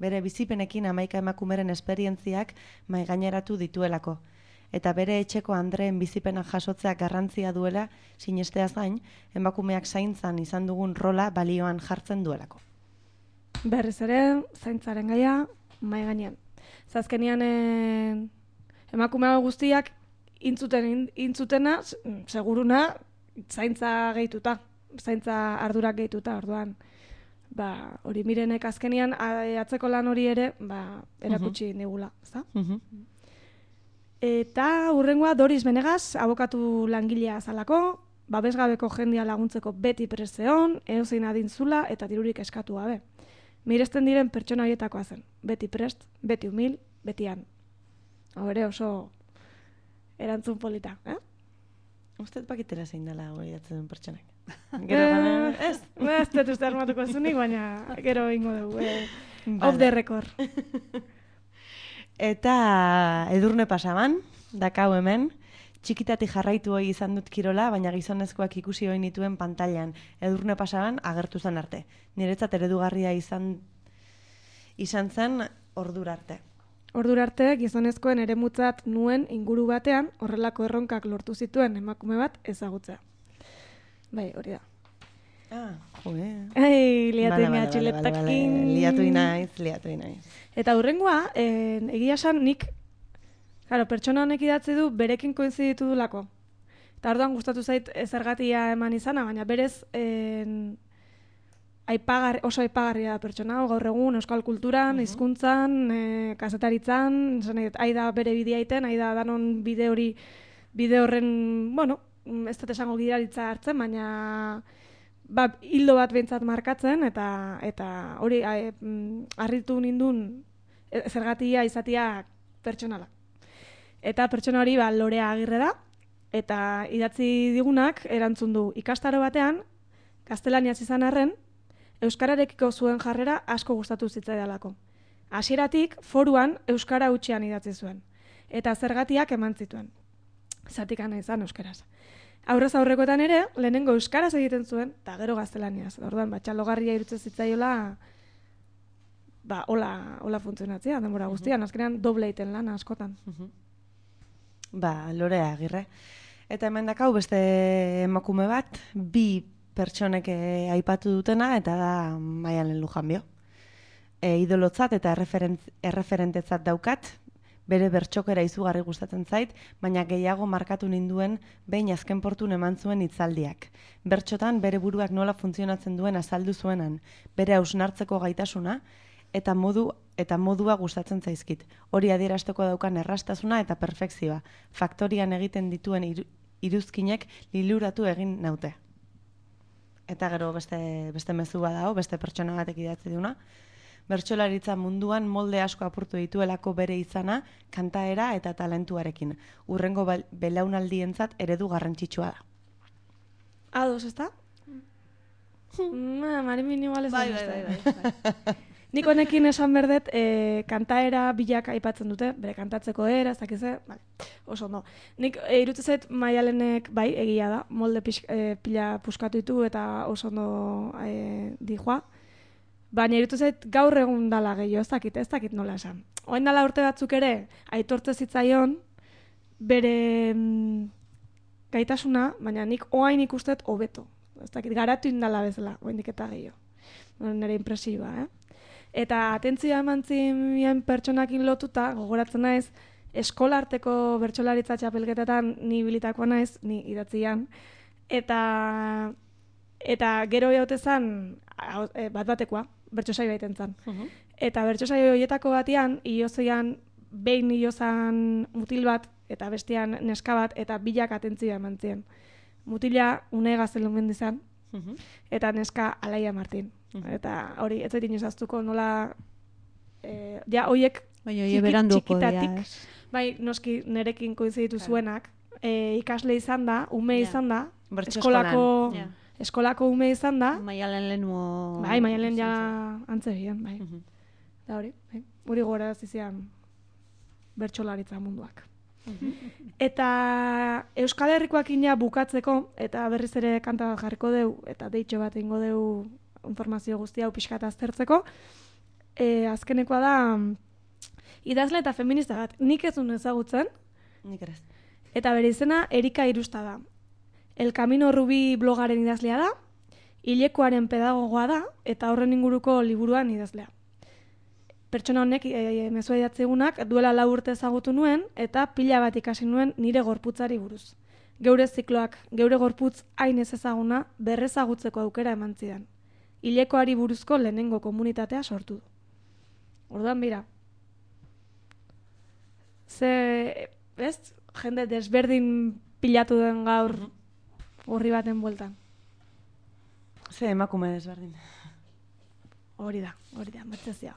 Bere bizipenekin hamaika emakumeren esperientziak maigaineratu dituelako. Eta bere etxeko Andreen bizipenak jasotzea garrantzia duela sinesteaz gain, emakumeak zaintzan izan dugun rola balioan jartzen duelako. Berriz ere, zaintzaren gaia, mai gainean. Zazkenian eh, emakume hau guztiak intzuten, in- intzutena, s- seguruna, zaintza gehituta, zaintza ardurak gehituta, orduan. Ba, hori Mirenek azkenian a- atzeko lan hori ere, ba, erakutsi digula, ezta? Mhm. Eta hurrengoa Doris Benegaz, abokatu langilea zalako, babesgabeko jendia laguntzeko beti preseon, eozein adintzula eta dirurik eskatu gabe. Miresten diren pertsona horietakoa zen. Beti prest, beti humil, betian. Hau ere oso erantzun polita, eh? Usted pakitera zein dela hori datzen duen pertsonak. Gero gana, ez? Ez dut uste armatuko zunik, baina gero ingo dugu. Eh, Vale. off the record. Eta Edurne Pasaban, dakau hemen, txikitatik jarraitu hoi izan dut kirola, baina gizonezkoak ikusi hoi nituen pantailan. Edurne Pasaban agertu zen arte. Niretzat eredugarria izan izan zen ordura arte. Ordura arte, gizonezkoen eremutzat nuen inguru batean horrelako erronkak lortu zituen emakume bat ezagutzea. Bai, hori da. Ah, joe. Ei, liatu Bale, ina bale, bale, txuletakin. bale, bale. Liatu inaiz, liatu inaiz. Eta hurrengoa, eh, egia esan nik, claro, pertsona honek idatzi du berekin koinziditu dulako. Eta orduan gustatu zait eh, zergatia eman izana, baina berez eh, aipagar, oso aipagarria da pertsona hau, gaur egun euskal kulturan, hizkuntzan, eh, kazetaritzan, esan nahi dut, aida bere bidea iten, aida danon bide hori, bide horren, bueno, mm, ez dut esango gidaritza hartzen, baina ba, hildo bat behintzat markatzen, eta eta hori a, mm, harritu nindun e, zergatia izatia pertsonala. Eta pertsona hori ba, Lorea Agirre da, eta idatzi digunak erantzun du ikastaro batean, gaztelaniaz izan arren, euskararekiko zuen jarrera asko gustatu zitzaidalako. Hasieratik foruan euskara hutsean idatzi zuen, eta zergatiak eman zituen. Zatikana izan euskaraz. Aurrez aurrekoetan ere, lehenengo euskaraz egiten zuen, eta gero gaztelaniaz. Orduan, batxalogarria irutzen zitzaiola, ba, hola, hola funtzionatzea, denbora guztian, azkenean doble egiten lan askotan. Ba, Lorea Agirre. Eta hemen dakau beste emakume bat, bi pertsonek eh, aipatu dutena, eta da Maialen Lujanbio. E, idolotzat eta erreferent, erreferentetzat daukat, bere bertxokera izugarri gustatzen zait, baina gehiago markatu ninduen behin azken portun eman zuen hitzaldiak. Bertxotan bere buruak nola funtzionatzen duen azaldu zuenan, bere hausnartzeko gaitasuna, eta modu eta modua gustatzen zaizkit. Hori adierazteko daukan errastasuna eta perfekzioa. Faktorian egiten dituen iru, iruzkinek liluratu egin naute. Eta gero beste, beste mezu badao, beste pertsona batek idatzi duna. Bertsolaritza munduan molde asko apurtu dituelako bere izana, kantaera eta talentuarekin. Urrengo belaunaldientzat eredu garrantzitsua da. Ados, ezta? Ma, Marimin igual ez Bai, da. bai, bai, bai. Nik honekin esan berdet, e, kantaera bilak aipatzen dute, bere kantatzeko era, ez dakize, vale, oso no. Nik e, irutzen zait Maialenek, bai, egia da, molde pix, e, pila puskatu ditu eta oso no e, dijoa. Baina irutu zait gaur egun dala gehiago, ez dakit, ez dakit nola esan. Oain dala urte batzuk ere, aitortze zitzaion, bere mm, gaitasuna, baina nik oain ikustet hobeto. Ez dakit, garatu indala bezala, oain diketa gehiago. Nire impresioa, eh? Eta atentzia eman zinen pertsonakin lotuta, gogoratzen naiz, eskolarteko bertsolaritza txapelketetan ni bilitakoa naiz, ni idatzian, eta, eta gero jaute zan, bat batekoa, bertso saio baiten zan. Uh-huh. Eta bertso saio horietako batean, iozoian, behin iozan mutil bat, eta bestean neska bat, eta bilak atentzia eman ziren. Mutila une gaztelu mendizan, uh-huh. eta neska Alaia Martin. Uh-huh. Eta hori, ez zaitin izaztuko nola, e, ja, hoiek txikitatik, bai, noski nerekin koinciditu zuenak, e, ikasle izan da, ume yeah. izan da, eskolako... Yeah. Eskolako ume izan da. Maialen lehenmo... Bai, Maialen ja antzebian, bai. Uh-huh. Da hori, bai. Hori gora zizian bertsolaritza munduak. Uh-huh. Eta Euskal Herrikoak ina bukatzeko, eta berriz ere kanta bat jarriko deu, eta deitxo bat ingo deu informazio guztia hau pixka eta aztertzeko, e, azkenekoa da idazle eta feminista bat. Nik ez duen ezagutzen. Nik ere. Eta bere izena Erika Irusta da. El Camino Rubi blogaren idazlea da, hilekoaren pedagogoa da, eta horren inguruko liburuan idazlea. Pertsona honek, e, e, mezua idatzegunak, duela lau urte ezagutu nuen, eta pila bat ikasi nuen nire gorputzari buruz. Geure zikloak, geure gorputz hain ez ezaguna, berrezagutzeko aukera eman zidan. Hilekoari buruzko lehenengo komunitatea sortu du. Orduan bira. Ze, ez, jende desberdin pilatu den gaur, horri baten bueltan. Ze emakume desberdin. Hori da, hori da, mertzezia.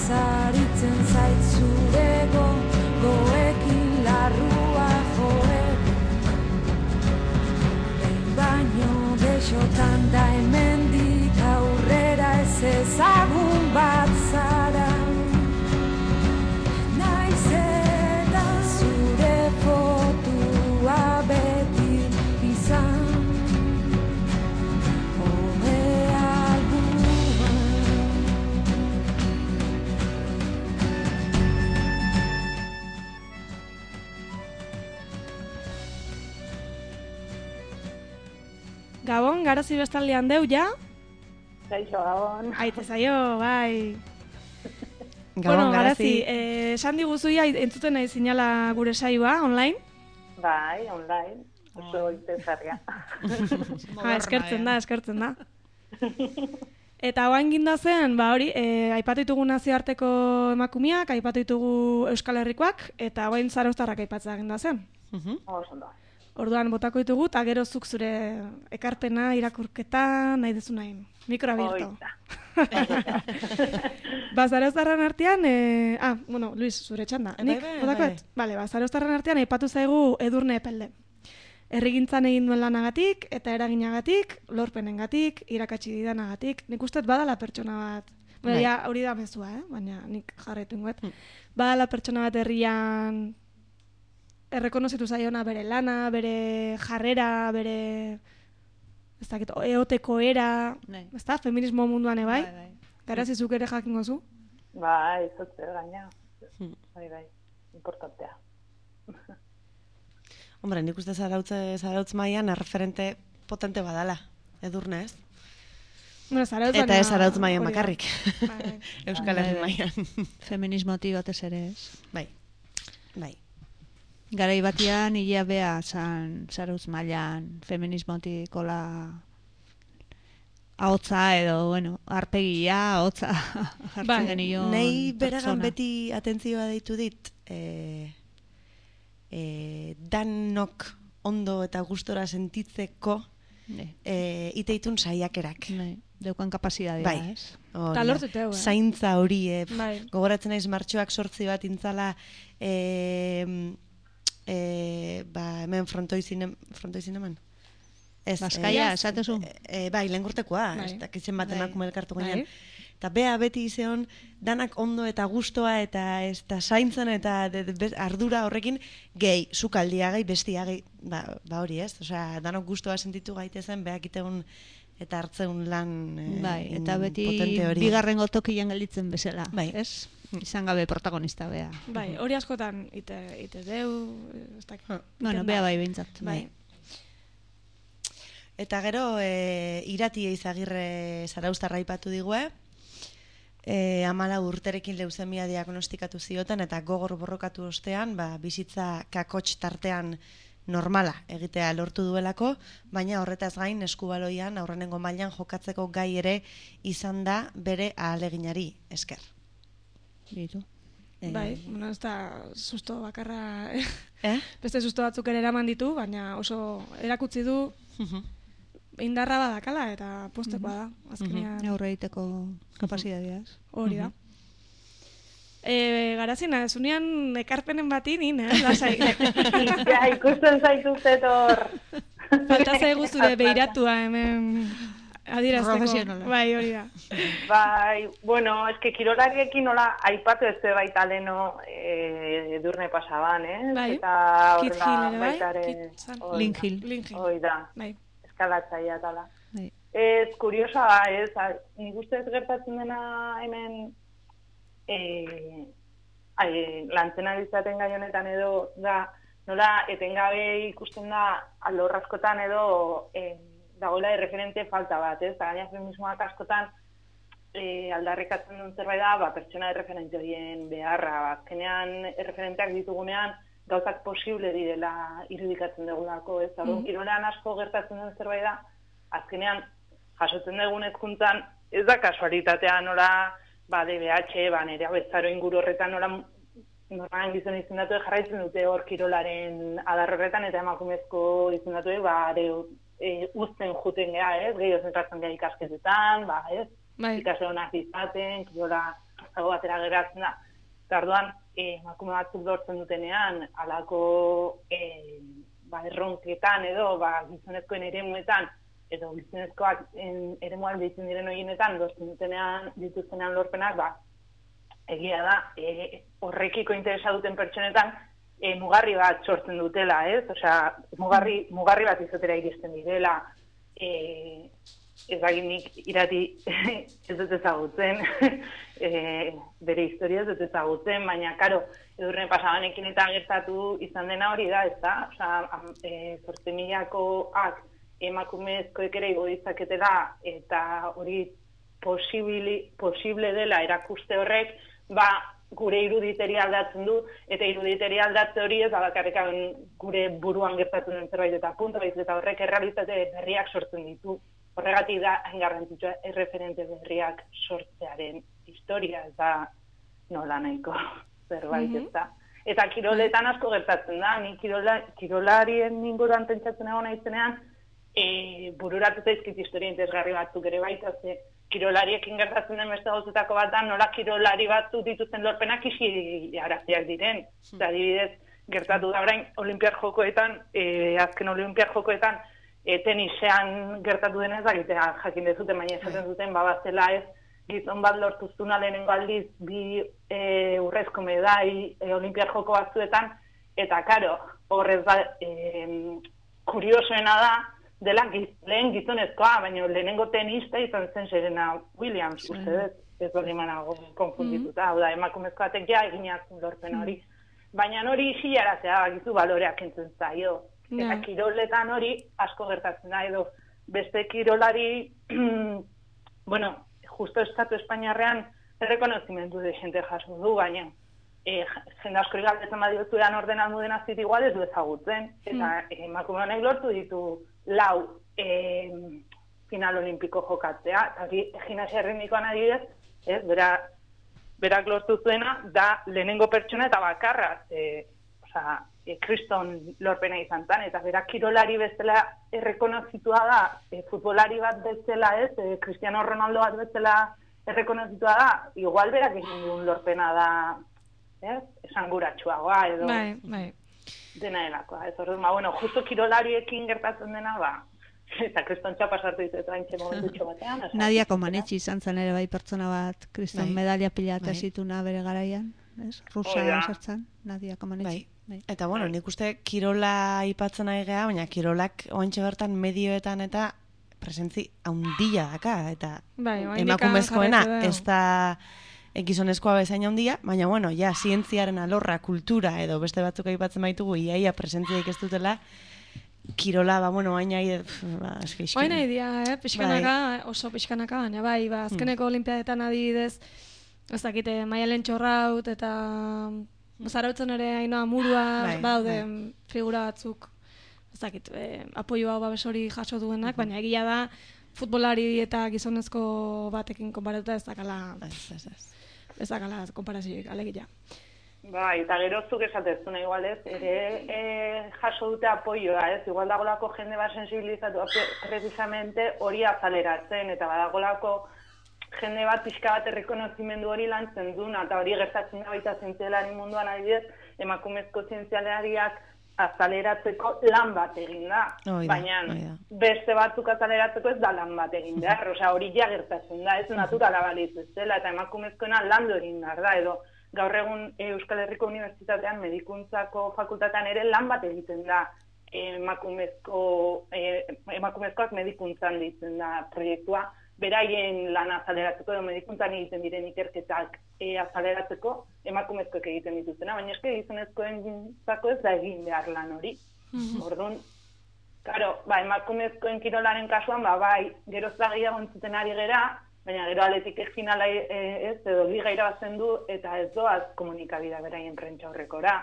Zaritzen zaitzurego goekin larru ezagun bat zara. Naiz eta zure fotua beti izan home albuman. Gabon, garazi bestaldean deu, ja? Kaixo, Gabon. Aite zaio, bai. Gabon, bueno, Garazi. Garazi, eh, esan diguzuia entzuten nahi zinala gure saioa, online? Bai, online. Oso interesgarria. Ha, eskertzen da, eskertzen da. Eta oain ginda zen, ba hori, eh, aipatu ditugu nazioarteko emakumeak, aipatu ditugu Euskal Herrikoak, eta oain zarauztarrak aipatzea ginda zen. Oso da. Orduan botako ditugu, eta gero zuk zure ekarpena, irakurketa, nahi dezu nahi. Mikro abierto. Ba, zarauztarren artean, eh, ah, bueno, Luis, zure txanda. Bai, Nik, bai, botakoet? bai. Bale, ba, zarauztarren artean aipatu zaigu Edurne Epelde. Errigintzan egin duen lanagatik, eta eraginagatik, lorpenengatik, irakatsi didanagatik. Nik uste badala pertsona bat. Bueno, Bai. ja, hori da mezua, eh? Baina nik jarretu ingoet. Badala pertsona bat herrian errekonozitu zaiona bere lana, bere jarrera, bere ez dakit, eoteko era, Bai. ez da, feminismo munduan ebai. Bai, bai. Garazi zuk ere jakingo zu. Bai, zotze gaina. Bai, bai, importantea. Hombre, nik uste zarautze, zarautz mailan erreferente potente badala, Edurne, ez? Bueno, zarautz Eta baina- ez zarautz mailan hori da. bakarrik. Bai. Euskal Bai, Herri bai. mailan. Feminismotik batez ere ez. Bai, bai. Garai batian, ia bea zan zarautz mailan feminismotik ola ahotza edo, bueno, arpegia, ahotza jartzen Bai. genion Nei beragan pertsona. beti atentzioa deitu dit, e, e, danok ondo eta gustora sentitzeko Ne, e, iteitun saiakerak. ne, deukan kapazitatea, Bai. ez? Hori Ta da. lortzuteu, eh? Zaintza hori, e, Bai. gogoratzen naiz martxoak sortzi bat intzala, e, e, ba, hemen frontoi zinem, frontoi zineman? Ez, Bazkaia, eh, esatezu? E, bai, lehengurtekoa, Bai. ez dakitzen bat Bai. emakume elkartu Bai. ginen. Eta bea beti izeon, danak ondo eta gustoa eta ez da zaintzen eta de, de, be- ardura horrekin gehi, zukaldia gehi, bestia gehi, ba, ba hori ez, osea, danok gustoa sentitu gaitezen, beak iteun eta hartzeun lan eh, Bai, in- eta beti potente hori. bigarrengo tokian gelditzen bezala, Bai. ez? Izan gabe protagonista bea. Bai, hori askotan ite, ite deu, ez dakit. Bueno, iten bea da. bai behintzat. Bai. Eta gero, e, Irati Eizagirre zarauztarra aipatu digue, e, amala urterekin leuzemia diagnostikatu zioten, eta gogor borrokatu ostean, ba, bizitza kakotx tartean normala egitea lortu duelako, baina horretaz gain eskubaloian aurrenengo mailan jokatzeko gai ere izan da bere ahaleginari esker. Bitu. E, Bai, bueno, ez da susto bakarra, Eh? beste susto batzuk ere eraman ditu, baina oso erakutsi du indarra badakala eta postekoa da, azkenean Aurre egiteko kapazitatea, ez? hori da. E, garazina, ez unian ekarpenen bati nin, eh, lasai. Ja, ikusten zaituzet hor. Falta zaigu zure beiratua hemen adierazteko. Profesionala. Bai, hori da. Bai, bueno, eske kirolariekin nola aipatu ez baita leno eh, Edurne pasaban, eh? Bai. Eta Kit horrela Hill ere bai, baita ere, Kit zan. hori Lin da. Hill. Lin Hill. Hoi da, Bai. eskalatzaia tala. Bai. Ez, kuriosa, ez, a- nik uste ez gertatzen dena hemen eh, ai, lantzen ari zaten gai honetan edo da, nola etengabe ikusten da alor askotan edo eh, dagoela erreferente falta bat, ez? Eta gaina feminismoak askotan eh, aldarrikatzen duen zerbait da, ba, pertsona erreferente horien beharra, ba, azkenean erreferenteak ditugunean gauzak posible direla irudikatzen dugulako, ez? Orduan, kirolean asko gertatzen den zerbait da, azkenean jasotzen dugun hezkuntzan ez da kasualitatea nola ba D B H, ba nere abezaro inguru horretan nola normalen gizon izendatu jarraitzen dute hor kirolaren adar horretan eta emakumezko izendatu ba are e, uzten juten gea, ez? Gehiago zentratzen gea ikasketetan, ba, ez? Bai. Ikasle honak izaten, kirola zago batera geratzen da. Eta orduan, eh, emakume batzuk lortzen dutenean, halako eh, ba, erronketan edo, ba, gizonezkoen eremuetan, edo gizonezkoak eremuan deitzen diren horienetan, doztenean dituztenean lorpenak, ba, egia da, e, horrekiko interesa duten pertsonetan, e, mugarri bat sortzen dutela, ez? Osea, mugarri, mugarri bat izatera iristen direla, e, ez baginik irati ez dut ezagutzen, e, bere historia ez dut ezagutzen, baina, karo, edurne pasabanekin eta gertatu izan dena hori da, ez da? Osea, e, zortzi milakoak emakumezkoek ere igo ditzaketela, eta hori posibili, posible dela erakuste horrek, ba, gure iruditeria aldatzen du, eta iruditeria aldatze hori ez da bakarrik gure buruan gertatu den zerbait eta punto, baiz eta horrek errealitate berriak sortzen ditu. Horregatik da, hain garrantzitsua, erreferente berriak sortzearen historia, ez da nola nahiko zerbait, ez da. Eta kiroletan asko gertatzen da, ni kirola, kirolarien inguruan pentsatzen egon naizenean, e, bururatuta izkit historia interesgarri batzuk ere baita, ze kirolariekin gertatzen den beste gauzetako bat da, nola kirolari batzuk dituzten lorpenak isi araziak diren. Hmm. Eta adibidez, gertatu da orain olimpiar jokoetan, e, azken olimpiar jokoetan, e, tenisean gertatu denez, agitea jakin dezuten, baina esaten zuten, babazela ez, gizon bat lortuztuna lehenengo aldiz, bi e, urrezko medai e, olimpiar joko batzuetan, eta karo, horrez da, e, kuriosoena da, dela giz, lehen gizonezkoa, baina lehenengo tenista izan zen Serena Williams, sí. Uste dut, ez hori manago konfundituta, hau da, emakumezkoatek ja eginazun lorpen hori. Baina hori isilarazea gizu baloreak entzen zaio. No. Eta kiroletan hori asko gertatzen da, edo beste kirolari, bueno, justo estatu espainiarrean errekonozimendu de jente jaso du, baina e, jende asko galdetzen badiozuean ordenaldu den azit igual ez du ezagutzen, eta mm. emakume honek lortu ditu lau e, final olimpiko jokatzea, eta gimnasia erritmikoan adibidez, ez, bera, berak lortu zuena, da lehenengo pertsona eta bakarra, e, oza, e, kriston lorpena izan zen, eta berak kirolari bezala errekonozitua da, e, futbolari bat bezala ez, e, Cristiano Ronaldo bat bezala errekonozitua da, igual berak egin duen lorpena da, ez, esanguratsuagoa edo... Bai, bai. Dena delakoa, ez orduan, ba, bueno, justo kirolariekin gertatzen dena, ba, eta kristontxa pasartu ditu eta haintxe momentutxo batean. Nadia Comaneci izan zen ere bai pertsona bat, kriston bai. Medalia pila eta zituna bere garaian, ez? Rusa sartzen, Nadia Comaneci. Bai. Eta, bueno, nik uste kirola ipatzen ari geha, baina kirolak ointxe bertan medioetan eta presentzi haundila daka, eta bai, emakumezkoena ez da... gizonezkoa bezain handia, baina bueno, ja, zientziaren alorra, kultura edo beste batzuk aipatzen baitugu, iaia presentziaik ez dutela, kirola, ba, bueno, baina ba, eski iskin. Baina idea, eh, pixkanaka, bai. Oso pixkanaka, baina bai, ba, azkeneko hmm. olimpiadetan adibidez, ez dakite, Maialen Txorraut, eta hmm. zarautzen ere Ainhoa Murua, bai, badaude bai. Figura batzuk, ez dakit, eh, apoioa babes hori jaso duenak, hmm. baina egia da, futbolari eta gizonezko batekin konparatuta ez dakala... Ez, ez, ez. Ez dakala konparazioik, alegia. Ba, eta gero zuk esatezuna igual ez, ere e, jaso dute apoioa, ez? Igual dagolako jende bat sensibilizatu precisamente hori azaleratzen, eta badagolako jende bat pixka bat errekonozimendu hori lantzen duna, eta hori gertatzen da baita zientzialari munduan adibidez, emakumezko zientzialariak azaleratzeko lan bat egin da, oida, baina oida. Beste batzuk azaleratzeko ez da lan bat egin behar, osea hori ja gertatzen da, ez naturala balitz ez dela, eta emakumezkoena landu egin behar da, edo gaur egun Euskal Herriko Unibertsitatean medikuntzako fakultatean ere lan bat egiten da, emakumezko, emakumezkoak medikuntzan ditzen da proiektua, beraien lan azaleratzeko edo medikuntzan egiten diren ikerketak e, azaleratzeko emakumezkoek egiten dituztena, baina eske gizonezkoen zako ez da egin behar lan hori. Mm-hmm. Orduan, claro, ba, emakumezkoen kirolaren kasuan, ba, bai, geroz da gehiago entzuten ari gera, baina gero aletik finala e, ez, edo liga irabazten du, eta ez doaz komunikabida beraien prentsa horrekora.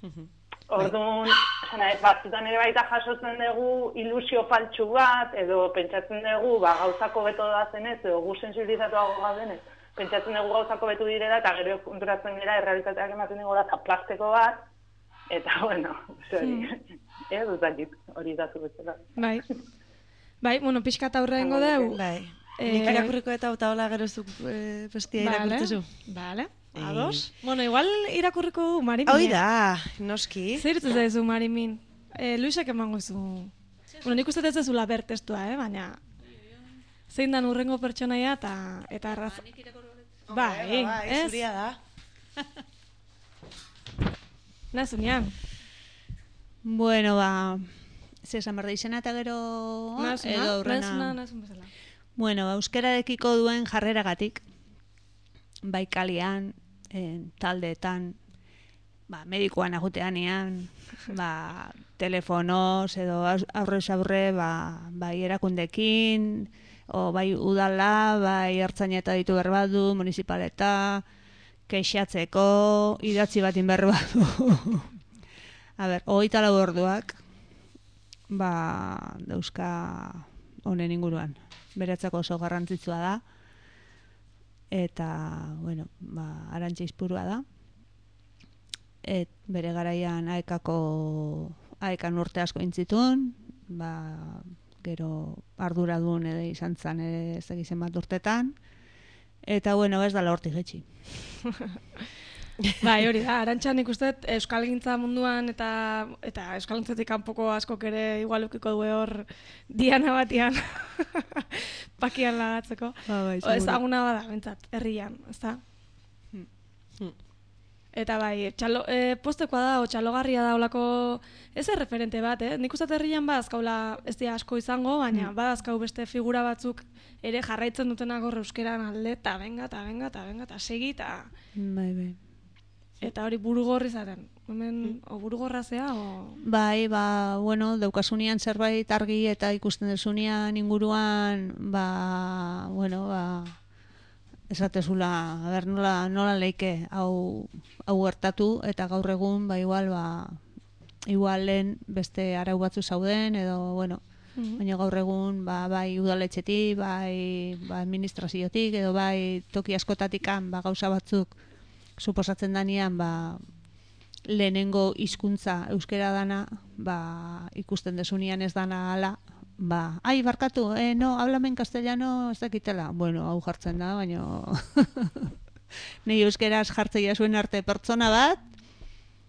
Mm-hmm. Orduan, batzutan ere baita jasotzen dugu ilusio faltsu bat, edo pentsatzen dugu ba, gauzako beto da zenez, edo gu sensibilizatuago gaudenez, pentsatzen dugu gauzako betu direla, eta gero konturatzen dira errealitateak ematen dugu da plastiko bat, eta bueno, hori, hmm. ez dut hori datu betzela. Bai, bai, bueno, pixka eta aurrengo dugu. Bai, nik irakurriko eta eta hola gero zuk e, bestia irakurtezu. Vale. Ados? E... Bueno, igual irakurriko du Marimin. Hoi da, noski. Zer dut zaizu Marimin? E, Luisek emango zu Bueno, nik uste ez ezula ber testua, eh? Baina zein dan urrengo pertsonaia eta eta arraz... Bai, bai, ez? zuria da. Nazunean. Bueno, ba, ze esan behar da izena eta gero Nazuna, edo aurrena. nazuna, nazun bezala. Bueno, euskararekiko duen jarreragatik, bai kalian, en, taldeetan, ba, medikoan aguteanean, ba, telefonoz edo aurrez aurre, ba, bai erakundekin, o bai udala, bai ertzaineta ditu berbadu, municipaleta, keixatzeko, idatzi batin berbadu. A ber, hogeita lau orduak, ba, dauzka honen inguruan. Beretzako oso garrantzitsua da. Eta, bueno, ba, Arantxa Izpurua da. Et bere garaian aekako aekan urte asko intzitun, ba, gero arduradun ere izan zan ere ez egizen bat urtetan. Eta, bueno, ez dala hortik etxi. Bai, hori da, Arantxa nik uste euskalgintza munduan eta eta euskalgintzatik kanpoko askok ere igual ukiko du hor diana batian pakian lagatzeko. Ba, bai, ezaguna bada, bentsat, herrian, ezta? Hmm. Hmm. Eta bai, txalo, e, postekoa da, o txalogarria da olako, ez referente bat, eh? Nik uste herrian badazkaula ez dira asko izango, baina mm. badazkau beste figura batzuk ere jarraitzen dutenak hor euskeran alde, eta benga, eta benga, eta benga, eta segi, eta... Bai, bai. Eta hori burugorri zaten. Hemen, mm. o burugorra zea, o... Bai, ba, bueno, daukasunean zerbait argi eta ikusten desunean inguruan, ba, bueno, ba... esatezula, a ber, nola, nola leike hau, hau gertatu, eta gaur egun, ba, igual, ba, igual lehen beste arau batzu zauden, edo, bueno, mm-hmm. baina gaur egun, ba, bai udaletxetik, bai, ba, administraziotik, edo bai toki askotatikan, ba, gauza batzuk suposatzen danean, ba, lehenengo hizkuntza euskera dana, ba, ikusten desunean ez dana ala, ba, ai, barkatu, eh, no, hablamen castellano ez dakitela. Bueno, hau jartzen da, baina nei euskeraz jartzeia zuen arte pertsona bat.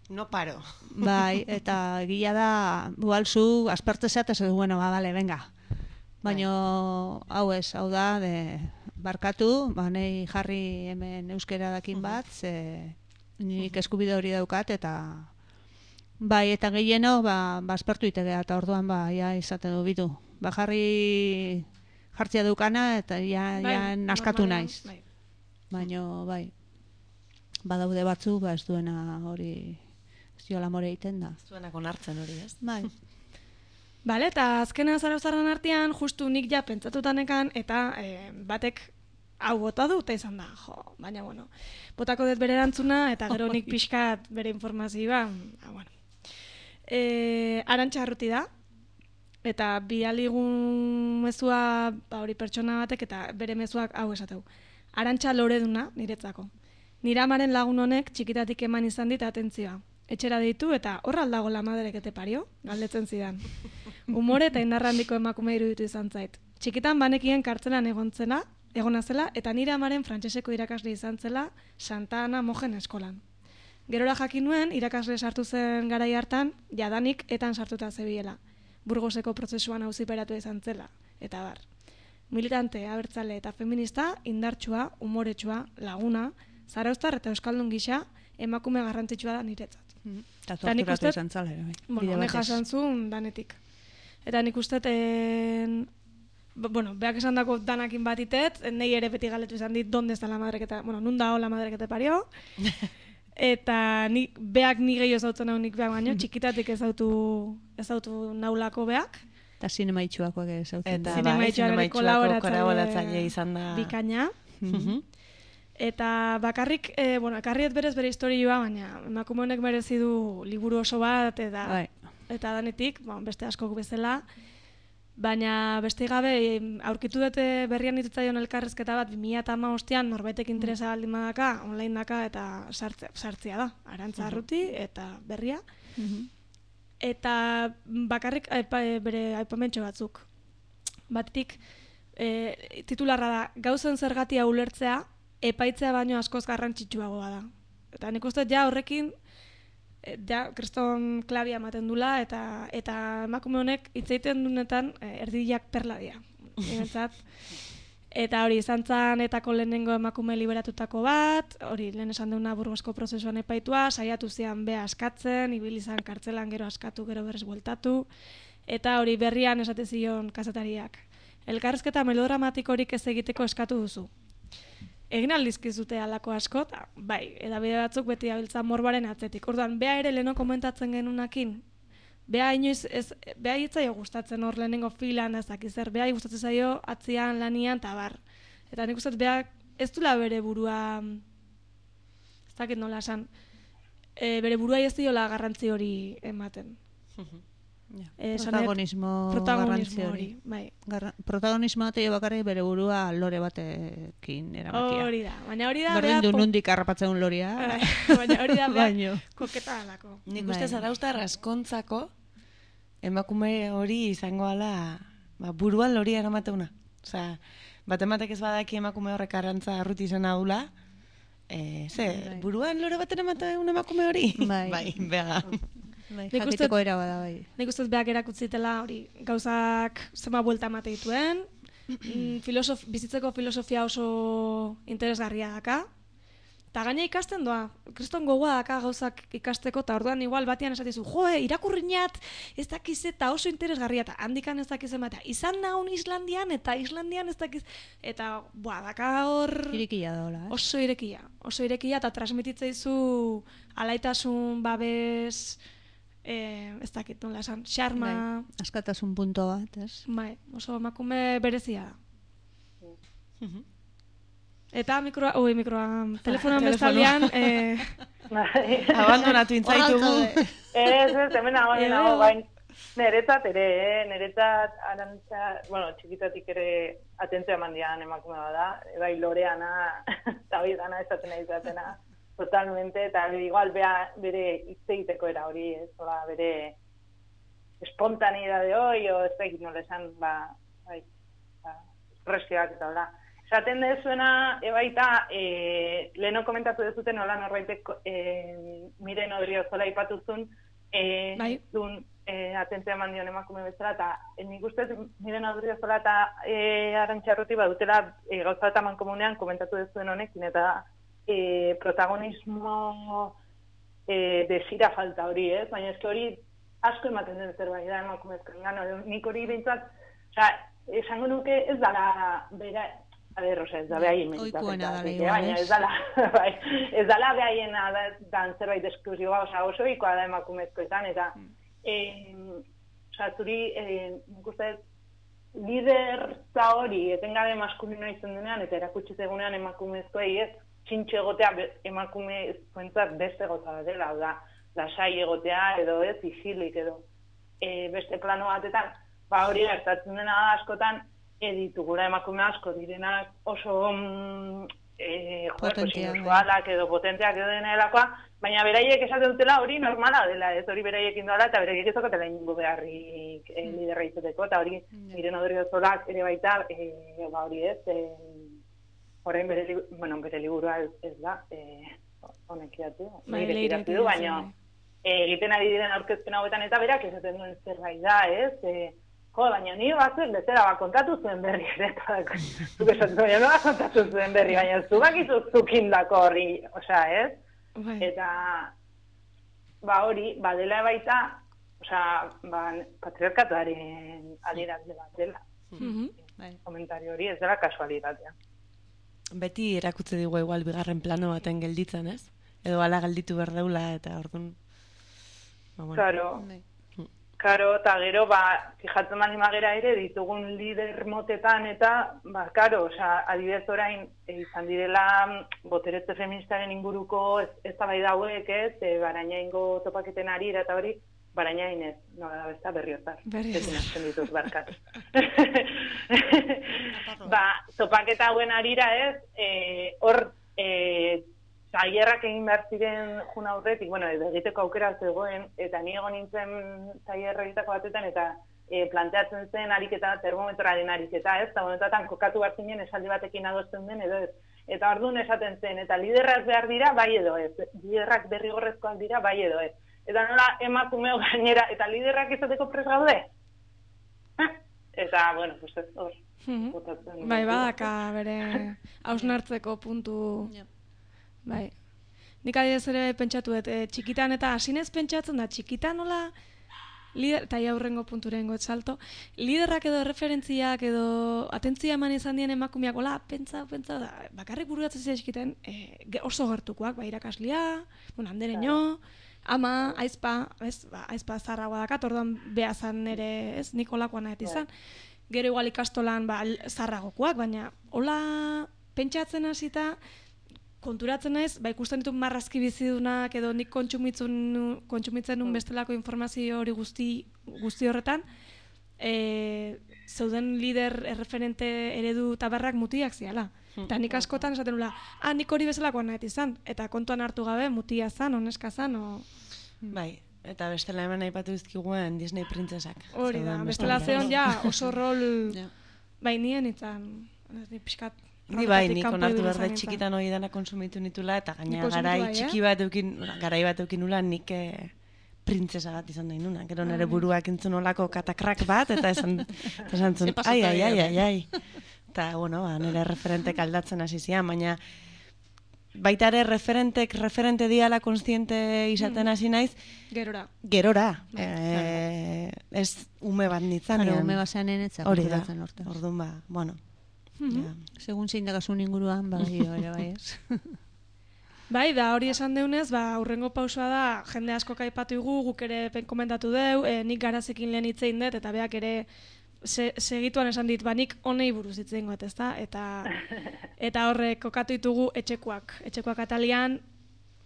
No paro. Bai, eta egia da, bualzu, aspertze zeatez, bueno, ba, vale, venga. Baina hau ez, hau da, de, barkatu, ba, nei jarri hemen euskera dakin bat, ze nik eskubide hori daukat, eta... Bai, eta gehieno, ba, ba aspertu itegea, eta orduan, ba, ja, izaten du bitu. Ba, jarri jartzia dukana, eta ja, bai, ja naskatu naiz. Bai. Baina, bai, badaude batzu, ba, ez duena hori, ez diola more egiten da. Ez duena konartzen hori, ez? Bai. Bale, eta azkena zarauzarren artean, justu nik ja pentsatutanekan, eta e, batek hau bota du, eta izan da, jo, baina, bueno, botako dut bere erantzuna, eta gero nik pixkat bere informazioa, ba, bueno. E, Arantxa Arruti da, eta bidaligun mezua, ba, hori pertsona batek, eta bere mezuak hau esateu. Arantxa loreduna niretzako. Nire amaren lagun honek txikitatik eman izan dit atentzioa. Etxera deitu eta horra aldago la maderek ete pario, galdetzen zidan. Umore eta indarra handiko emakume iruditu izan zait. Txikitan banekien kartzelan egontzena, egona zela, eta nire amaren frantseseko irakasle izan zela Santa Ana Mojen eskolan. Gerora jakin nuen, irakasle sartu zen garai hartan, jadanik etan sartuta zebiela. Burgoseko prozesuan auziperatu izan zela, eta bar. Militante, abertzale eta feminista, indartsua, umoretsua, laguna, zarauztar eta euskaldun gisa, emakume garrantzitsua da niretzat. Mm. Eta torturatu izan zala, bai. Bueno, ne jasantzun danetik. Eta nik uste, en... bueno, beak esan dako danakin batitet, nei ere beti galetu izan dit, donde está la madre que te... Bueno, nun da la madre que te parió. Eta ni, beak ni gehiago ezautzen hau nik beak baino, txikitatik ezautu, ezautu naulako beak. Eta zinema itxuakoak ezautzen. Eta bai, zinema itxuako kolaboratzaile izan da. Bikaina. Mm-hmm. Eta bakarrik, e, bueno, ekarriet berez bere historioa, baina emakume honek merezi du liburu oso bat, eta, bai. Eta danetik, bon, beste askok bezala, baina beste gabe aurkitu dute berrian ditutzaion elkarrezketa bat bi mila hamabostean norbaitek interesa baldin badaka, online daka eta sartzea, sartzea da, Arantxa Arruti eta berria. Uh-huh. Eta bakarrik aipa, bere aipamentxo batzuk. Batetik e, titularra da, gauzen zergatia ulertzea, epaitzea baino askoz garrantzitsuagoa da. Eta nik uste ja horrekin e, ja, kriston klabia ematen dula, eta eta emakume honek hitz egiten dunetan e, erdiak perla dira. Niretzat. Eta hori izan zan etako lehenengo emakume liberatutako bat, hori lehen esan deuna Burgosko prozesuan epaitua, saiatu zian bea askatzen, ibili izan kartzelan gero askatu, gero berriz bueltatu, eta hori berrian esate zion kazetariak. Elkarrizketa melodramatikorik ez egiteko eskatu duzu. Egin aldizkizute alako asko, ta, bai, edabide batzuk beti abiltza morbaren atzetik. Orduan, bea ere leheno komentatzen genunakin, Bea inoiz, ez, bea hitzaio gustatzen hor lehenengo filan, ez dakiz zer, bea gustatzen zaio atzian, lanian, eta bar. Eta nik uste bea ez dula bere burua, ez dakit nola esan, e, bere burua ez diola garrantzi hori ematen. Ja. E, protagonismo, protagonismo hori, bai. Garra, protagonismo bateio bakarrik bere burua lore batekin eramatia. Hori da, baina hori da... Berdin du nundik harrapatzen loria. Baina hori da bea koketa alako. Nik uste Zarauztar raskontzako emakume hori izango ala ba, buruan lori eramateuna. Osea, bat ematek ez badaki emakume horrek arrantza arruti izan adula, e, ze, bai. Buruan lore baten emateun emakume hori? Bai, bai bega. Bai, jakiteko era bada bai. Nik uste beak erakutzitela hori gauzak zema buelta emate dituen, filosof, bizitzeko filosofia oso interesgarria daka, eta gaina ikasten doa, kriston gogoa daka gauzak ikasteko, eta orduan igual batian esatizu, joe, irakurriñat, ez dakiz eta oso interesgarria, eta handikan ez dakiz ematea, izan naun Islandian, eta Islandian ez dakiz, eta boa, daka hor... Irekia daola, eh? Oso irekia, oso irekia, eta transmititzeizu alaitasun, babes... Eh, ez dakit nola esan, xarma... Bai, askatasun punto bat, ez? Bai, oso emakume berezia da. Eta mikroa, oi, mikroa, telefonoan bestaldean... Eh, abandonatu intzaitugu. Ez, ez, hemen agoen nago, bain, niretzat ere, eh? niretzat arantza, bueno, txikitatik ere atentzia mandian emakume bada, bai loreana, eta hori dana esaten nahi izatena. Totalmente, eta igual bea, bere hitz egiteko era hori, ez, ola, bere espontaneidade hori, o ez da egin nola esan, ba, bai, ba, espresioak eta hola. Esaten dezuena, ebaita, e, leheno komentatu dezuten, hola, norbaitek e, Miren Odriozola ipatuzun, e, bai. Dun, e, atentzia eman dion emakume bezala, eta nik ustez Miren Odriozola eta e, Arantxa badutela e, gauza eta mankomunean komentatu dezuen honekin, eta E, protagonismo e, desira falta hori, ez? Baina ez hori asko ematen den zerbait da emakumezkoen gano. Nik hori behintzat, oza, esango nuke ez dala bera, a ber, oza, ez da behaien oikuena dala igual, baina ez dala, bai, ez dala behaien dan zerbait esklusiboa, oza, oso ikoa da emakumezkoetan, eta e, oza, zuri, e, nik uste, liderza hori etengabe maskulino izan denean, eta erakutsi zegunean emakumezkoei ez, txintxo egotea emakume ezkoentzat beste gota dela, da, lasai egotea edo ez, isilik edo e, beste plano batetan, ba hori gertatzen dena askotan, editugura emakume asko direnak oso mm, e, joder, edo potenteak edo dena delakoa, baina beraiek esaten dutela hori normala dela, ez hori beraiek indoala, eta beraiek ez okatela ingo beharrik e, liderra izateko, eta hori Miren Odriozolak ere baita, e, ba hori ez, e, Horrein bere, bueno, bere liburua ez, ez da, honek eh, iratu, iratu du, baina egiten ari diren aurkezpen hauetan eta berak esaten duen zerbait da, ez? E, jo, baina ni batzuek bezala bat kontatu zuen berri, ere, zuk esatzen baina no bat kontatu zuen berri, baina zubak izuk zukindako horri, osea, ez? Bai. Eta, ba hori, badela baita, osea, ba, patriarkatuaren adierazle bat dela. Mm-hmm. Komentario hori ez dela kasualitatea. Beti erakutze digu igual bigarren plano baten gelditzen, ez? Edo ala gelditu behar daula eta orduan... Ba, bueno. Claro, claro, eta gero, ba, fijatzen mani magera ere, ditugun lider motetan eta, ba, claro, oza, adibidez orain, e, izan direla boteretze feministaren inguruko ez, ez tabai dauek, ez, e, baraina ingo topaketen ari eta hori, baraina inez, no, da besta berriotar. Berriotar. Ez dituz barkat. Ba, topaketa hauen arira ez, hor, e, tailerrak egin behar ziren juna aurretik, bueno, edo egiteko aukera zegoen, eta ni egon nintzen tailerra egiteko batetan, eta e, planteatzen zen ariketa, termometroaren ariketa, ez, eta momentuatan kokatu behar zinen esaldi batekin adosten den, edo ez. Eta orduan esaten zen, eta liderrak behar dira, bai edo ez. Liderrak derrigorrezkoak dira, bai edo ez. eta nola emakumeo gainera, eta liderrak izateko prest gaude? Eh? Eta, bueno, pues ez hor. Mm-hmm. Bai, badaka bere hausnartzeko puntu... Bai. Nik adidez ere pentsatu dut, e, txikitan eta hasinez pentsatzen da, txikitan nola... Lider, eta aurrengo punturengo salto, liderrak edo referentziak edo atentzia eman izan dien emakumeak, hola, pentsa, pentsa, da, bakarrik bururatzen zira eskiten, e, oso gertukoak, ba, irakaslia, bueno, andereño, ama, aizpa, ez, ba, aizpa zarragoa dakat, orduan behazan ere, ez, nik olakoan nahet izan, gero igual ikastolan, ba, zarragokoak, baina, hola, pentsatzen hasita, konturatzen naiz, ba, ikusten ditu marrazki bizidunak edo nik kontsumitzen, kontsumitzen nun bestelako informazio hori guzti, guzti horretan, e, zeuden lider erreferente eredu tabarrak mutiak ziala. Eta nik askotan esaten nula, ah, nik hori bezalakoan nahet izan, eta kontuan hartu gabe mutia zan, oneska zan, o... Bai, eta bestela hemen aipatu dizkiguen Disney printzesak. Hori da, bestela zeon ja oso rol, bai nien itzan, ni pixkat, Ni bai, nik onartu behar da txikitan hori dana konsumitu nitula, eta gaina garai txiki bat eukin, garai bat eukin nula, nik eh, printzesa bat izan da inuna. Gero nire buruak entzun olako katakrak bat, eta esan, eta esan zun, ai, ai, ai, ai, ai. Eta, bueno, ba, nire referentek aldatzen hasi zian, baina baita ere referentek, referente diala konstiente izaten hasi naiz, gerora. Gerora. Eh, ez ume bat nitzanean. Claro, ume basean enetzak. Hori da, orduan ba, bueno. Mm-hmm. Ja. Segun zein dagasun inguruan, bai, ere bai ez. Bai, da hori esan deunez, ba, urrengo pausua da, jende asko kaipatu igu, guk ere komentatu deu, e, nik garazekin lehen hitzein dut, eta beak ere se, segituan esan dit, ba, nik honei buruz hitzein goet, ezta? Eta, eta horrek kokatu ditugu etxekoak. Etxekoak atalian,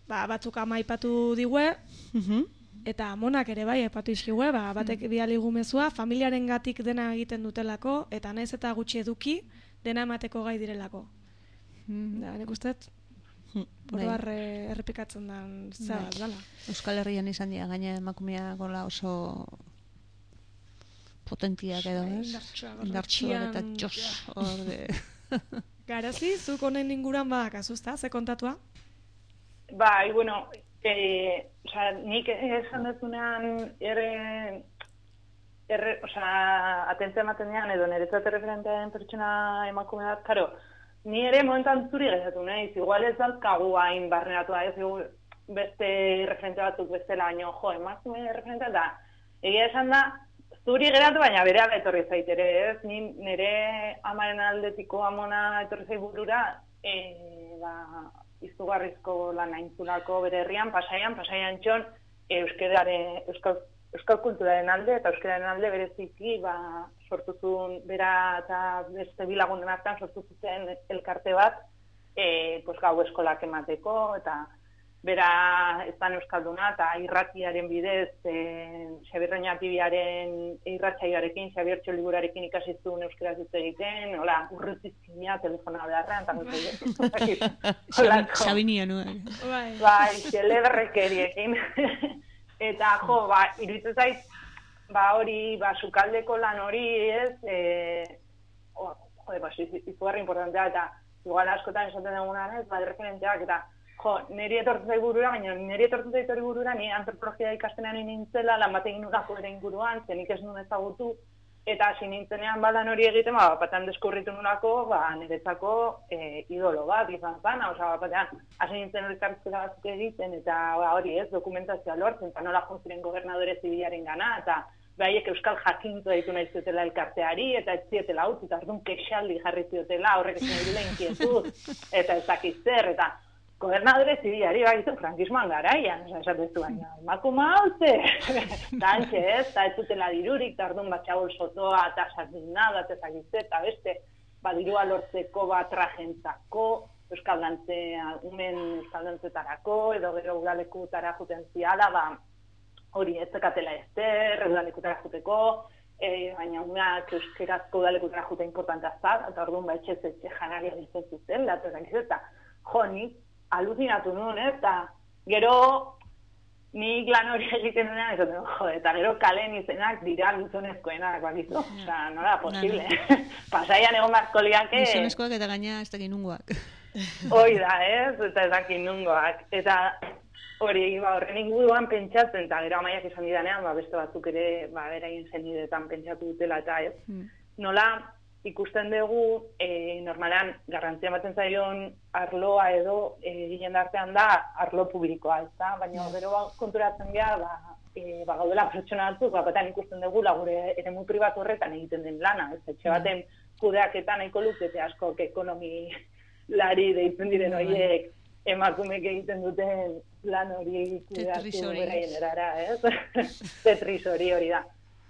ba, batzuk ama aipatu digue, mm-hmm. eta monak ere bai, aipatu izkigue, ba, batek bialigu mezua, familiaren gatik dena egiten dutelako, eta naiz eta gutxi eduki, dena emateko gai direlako. Mm-hmm. Da, nik usteet, oroar errepikatzen da zara, dala. Euskal Herrian izan dira, gaina emakumea gola oso potentiak edo, ez? Indartsuak eta txos. Garazi, zuk honen inguran badak azuzta, ze kontatua? Bai, bueno, eh, o sea, nik esan dezunean erre... Erre, o sea, atentzia ematen dian, edo niretzat referentean pertsona emakume bat, karo, ni ere momentan zuri gezatu nahiz, igual ez dalkagu hain barneratu da, ez beste referente batzuk bestela, baino, jo, emakume referentea da, egia esan da, zuri geratu, baina bere ala etorri zaitere, ez, ni nire amaren aldetiko amona etorri zait burura, e, ba, izugarrizko lan aintzulako bere herrian, pasaian, pasaian txon, euskerare, euskal Euskal kulturaren alde eta euskararen alde bereziki ba, sortu zuen bera eta beste bilagunen artean sortu zuten elkarte bat e, pues, gau eskolak emateko eta bera ezan euskalduna eta irratiaren bidez e, Xabier Reñatibiaren irratsaioarekin, Xabier Txoliburarekin ikasi zuen euskaraz hitz egiten, hola, urrutizkina telefona beharrean, eta Xabinia nuen. Bai, xeleberrekeriekin. Eta, jo, ba, iruditzen zait, ba, hori, ba, sukaldeko lan hori, ez, e, oh, jode, ba, izugarri importantea, eta igual askotan esaten dugunan, ez, ba, referenteak, eta, jo, niri etortzen zait burura, baina niri etortzen zait hori burura, ni antropologia ikastenean nintzela, lan batekin urako ere inguruan, zenik ez nuen ezagutu, eta hasi nintzenean balan hori egiten, ba, batean deskurritu nulako, ba, niretzako e, idolo bat, izan zana, oza, batean, hasi nintzen elkartzera batzuk egiten, eta ba, hori ez, dokumentazioa lortzen, eta nola jonziren gobernadore zibilaren gana, eta behaiek euskal jakintu ditu nahi zutela elkarteari, eta ez zietela hau, eta ardun kexaldi jarri ziotela, horrek ez nahi dela inquietud, eta ez dakiz zer, eta gobernadore zibilari bagitu frankismoan garaian, esatezu baina, makuma hau ze, eta antxe ez, eta ez zutela dirurik, eta orduan batxabol sotoa, eta sardinada, eta ezagitze, eta beste, badirua lortzeko bat trajentzako, euskaldantzea, umen euskaldantzetarako, edo gero udalekutara juten ziala, ba, hori ez zekatela ezter, udalekutara juteko, e, baina umeak euskerazko udalekutara jute importantea zat, eta orduan ba etxe zetxe janaria ditzen zuten, eta ezagitze, jo, nik, aluzinatu nuen, eta gero nik lan hori egiten nuenean, ez dut, jo, eta gero kalen izenak dira gizonezkoenak, bakizu, oza, nola, posible. Pasaian egon beharko liake... Gizonezkoak eta gaina ez dakin nungoak. Hoi da, ez, eta ez dakin nungoak. Eta, hori, ba, horren inguruan pentsatzen, eta gero amaiak izan didanean, ba, beste batzuk ere, ba, beraien zenidetan pentsatu dutela, eta ez. Mm. Nola, ikusten dugu, e, normalean, garrantzia ematen zaion arloa edo, e, ginen artean da, arlo publikoa, ez da? Baina, gero ba, konturatzen gara, ba, e, ba, gaudela pertsona batzuk, ba, batan ikusten dugu, lagure eremu pribatu horretan egiten den lana, ez? Etxe baten kudeaketan nahiko lukete asko, ekonomi lari deitzen diren horiek, emakumek egiten duten lan hori kudeatu beraien erara, ez? Tetris hori hori da.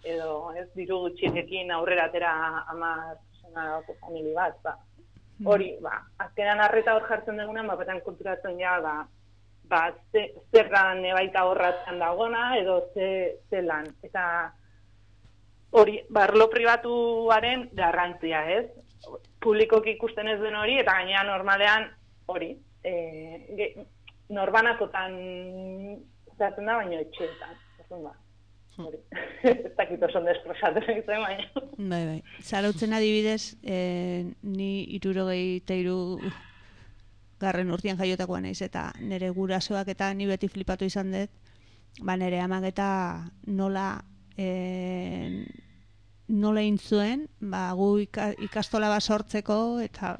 Edo, ez, diru gutxiekin aurrera atera hamar pertsonako famili bat, ba. Hori, ba, azkenan arreta hor jartzen dugunan, ba, batan konturatzen ja, ba, ba, ze, zerran ebaita horratzen dagona, edo ze, ze lan. Eta hori, barlo pribatuaren garrantzia, ez? Publikoki ikusten ez den hori, eta gainera normalean hori, e, norbanakotan zaten da, baina etxeetan. Zerren ba, hori. Ez dakit oso desprosatzen egiten, baina. Bai, bai. Zarautzen adibidez, e, ni irurogei teiru garren urtean jaiotakoa naiz, eta nire gurasoak eta ni beti flipatu izan dut, ba nire amak eta nola e, nola intzuen, ba, gu ikastola bat sortzeko, eta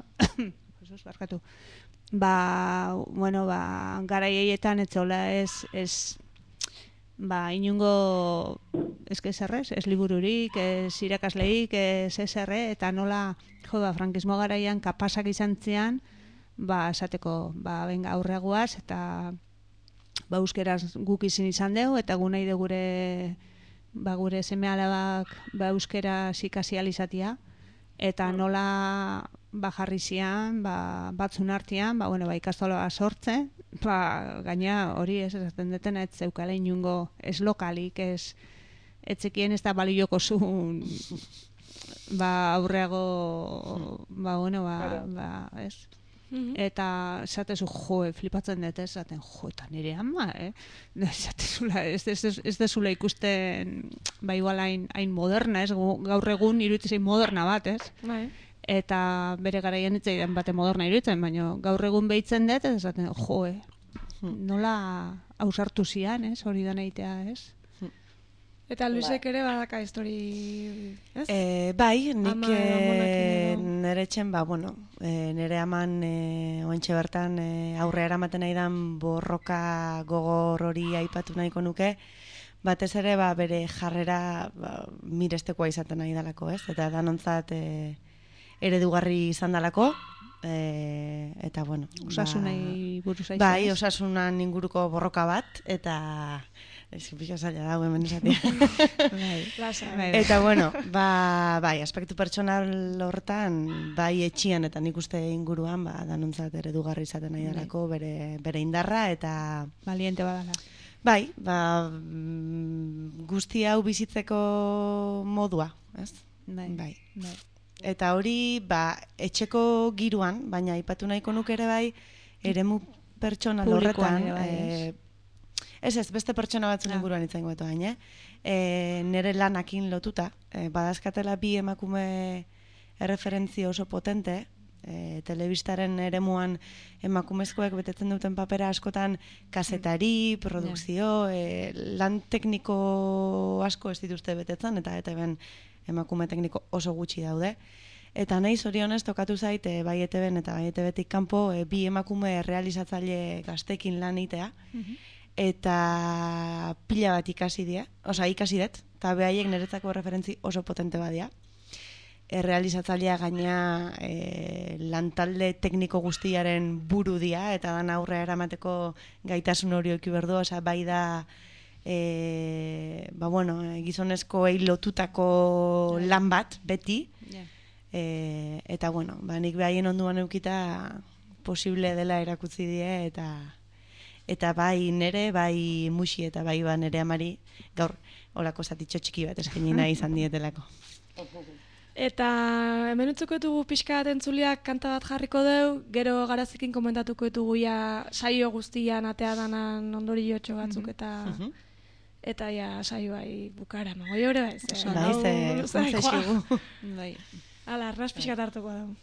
Jesus, barkatu, ba, bueno, ba, garaietan etzola ez, ez, ba, inungo, ez que zerrez, ez libururik, ez irakasleik, ez ezerre, eta nola, jo, ba, frankismo garaian kapasak izan zian, ba, esateko, ba, benga, aurreaguaz, eta, ba, euskeraz guk izin izan deu, eta gu nahi de gure, ba, gure seme alabak, ba, euskeraz ikasi alizatia, eta nola, ba, jarri zian, ba, batzun artean, ba, bueno, ba, ikastola sortze, ba, gaina hori ez esaten detena, ez zeukala inungo, ez lokalik, ez, etzekien ez da balioko zuen, ba, aurreago, ba, bueno, ba, ba, ez, eta esatezu, jo, flipatzen dut, esaten, jo, eta nire ama, eh? Esatezula, ez, ez, ez, ez dezula ikusten, ba, igual hain, hain moderna, ez, gaur egun iruditzen moderna bat, ez? Bai. Eta bere garaian itzaidan bate moderna iruditzen, baina gaur egun behitzen dut, ez esaten, jo, eh? Nola ausartu zian, ez? Hori da nahitea, ez? Eta Luisek ere badaka histori, ez? E, bai, nik e, nire etxen, ba, bueno, e, nire aman e, oentxe bertan e, aurre eramaten nahi dan borroka gogor hori aipatu nahiko nuke, batez ere ba, bere jarrera ba, mirestekoa izaten nahi dalako, ez? Eta danontzat e, eredugarri izan dalako, e, eta bueno. Osasunai buruz aizu. Bai, osasunan inguruko borroka bat, eta... Ez pixka zaila dago hemen esatia. Eta bueno, ba, bai, aspektu pertsonal hortan, bai etxian eta nik uste inguruan, ba, danontzat eredugarri izaten nahi dalako, bere, bere indarra eta... Valiente badala. Bai, ba, guzti hau bizitzeko modua, ez? Bai, bai. bai. Eta hori, ba, etxeko giruan, baina aipatu nahiko nuke ere bai, eremu pertsonal horretan, e, ez ez, beste pertsona batzun inguruan itzen goetu baina, e, nire lanakin lotuta, e, badazkatela bi emakume erreferentzia oso potente, e, telebistaren eremuan emakumezkoek betetzen duten papera askotan kazetari, produkzio, e, lan tekniko asko ez dituzte betetzen, eta eta ben emakume tekniko oso gutxi daude. Eta nahi zorionez tokatu zait, e, bai E T Ben eta bai E T Betik kanpo, e, bi emakume realizatzaile gaztekin lan itea, eta pila bat ikasi die, oza, ikasi dut, eta behaiek niretzako referentzi oso potente badia. E, realizatzailea gaina e, lantalde tekniko guztiaren buru dia, eta dan aurre eramateko gaitasun hori oki berdu, oza, bai da e, ba, bueno, gizonezkoei lotutako lan bat, beti, e, eta, bueno, ba, nik behaien onduan eukita posible dela erakutzi die, eta eta bai nere, bai musi eta bai ba nere amari gaur olako zatitxo txiki bat eskaini nahi izan dietelako. Eta hemen utzuko ditugu pixka bat entzuliak kanta bat jarriko deu, gero garazikin komentatuko ditugu ja saio guztian atea danan ondoriotxo batzuk eta eta ja saio bai bukara, no? Goi hori bai, ze. Bai, ze, konzesigu. Bai. Ala, arras pixka hartuko dugu.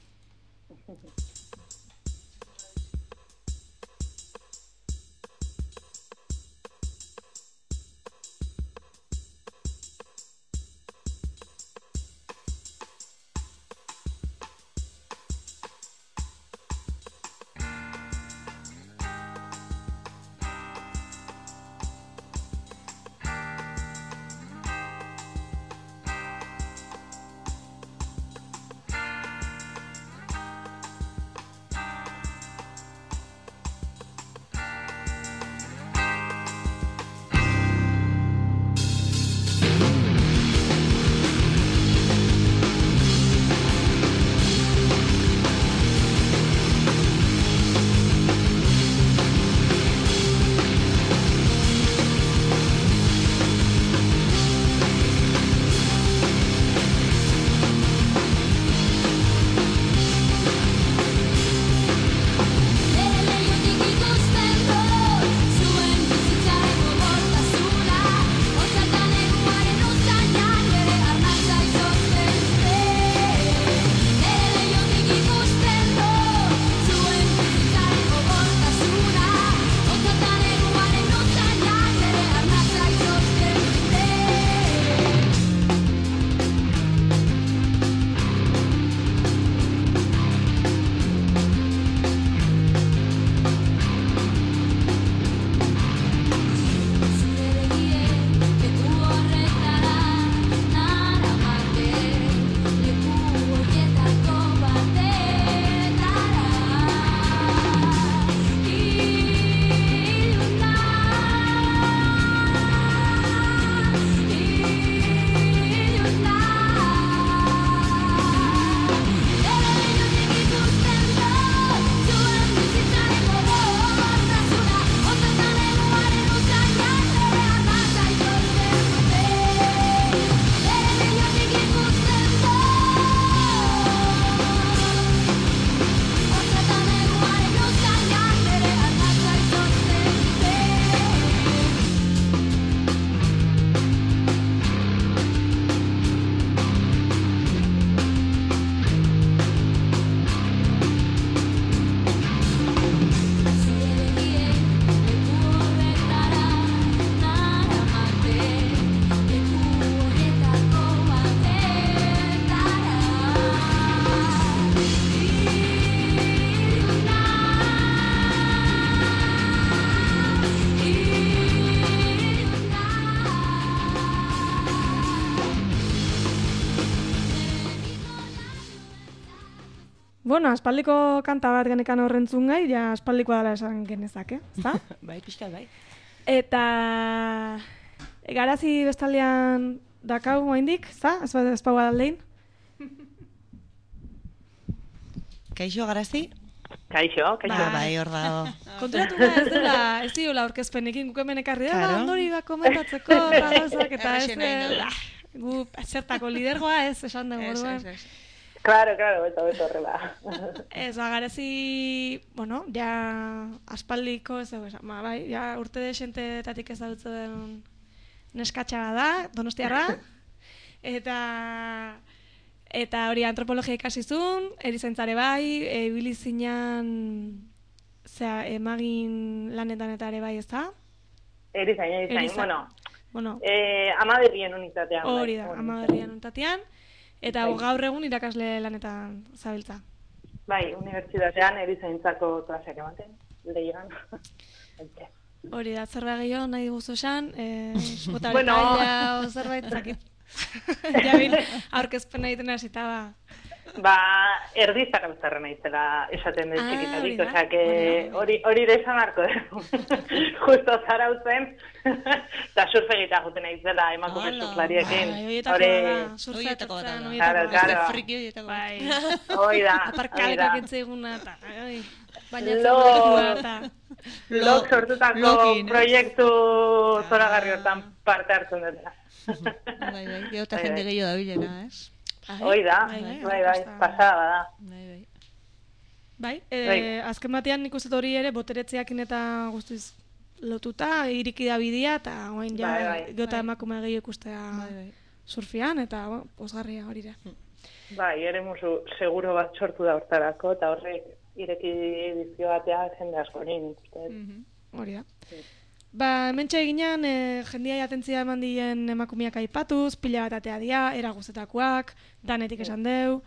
Bueno, aspaldiko kanta bat genekan horrentzun gai, ja aspaldikoa dela esan genezake, ezta? Bai, pixkat bai. Eta garazi bestaldean dakau oraindik, ezta? Ez ez pau aldein. Kaixo garazi? Kaixo, kaixo. Ba, bai, hor dago. Konturatu da, ez dela, ez diola aurkezpenekin guk hemen ekarri da, Claro. ondori bat komentatzeko, gauzak, eta ez Errexen nahi dela, gu zertako lidergoa ez, esan dugu Ez, orduan. ez, ez. Claro, claro, beto, beto horrela. Ez, ba, garazi, bueno, ja aspaldiko, ez dugu esan, ba, bai, ja urte desentetatik ezagutzen neskatxa da, donostiarra, eta eta hori antropologia ikasizun, erizaintzare bai, ibili zinan, zera, emagin lanetan eta ere bai, ez da? Erizain, erizain, Erizain. bueno, Bueno, eh, amaberrien unitatean. hori bai, da, hori. amaberrian untatean, eta Bai. gaur egun irakasle lanetan zabiltza. Bai, unibertsitatean erizaintzako klaseak ematen, leigan. Hori da, zerbait gehiago nahi guzu esan, eh, bota Bueno. taila o zerbait zakit. Jabil, aurkezpena egiten hasita ba. Ba, erdizak abezarra naizela esaten dut Ah, txikitatik, hori da, osea, que hori da. hori hori ere esan marko dugu. Justo zarautzen, eta surfe egita juten naizela emakume Hala. surflariekin. Bai, horietako Hori- da, Horietako bat surfeatzen, da. Claro, horietako claro. da. Friki horietako bat. Bai, Hoi da, hoi aparkaleko da. kentzeiguna, eta, ai, baina Lo- lekua, eta... Lok sortutako Lokin, eh? proiektu zoragarri hortan parte hartzen dut. Bai, bai, gero eta Bai, jende bai. gehiago dabilena, ez? Hoi da, bai, bai, bai, bai, kosta. pasada da. Bai, bai. Bai, e, Bai. azken batean nik uste dut hori ere boteretzeakin eta guztiz lotuta, iriki da bidea, eta oain ja, Bai, bai. gota emakume gehiago ikustea Bai, bai. surfian, eta bueno, posgarria hori ere. Bai, ere musu seguro bat sortu da hortarako, eta horrek ireki dizio batea jende askori nik uste dut. Mhm. Hori da. Ba, hementxe eginean, e, jendia atentzia eman dien emakumeak aipatuz, pila bat atea dia, era guztetakoak, danetik esan deu.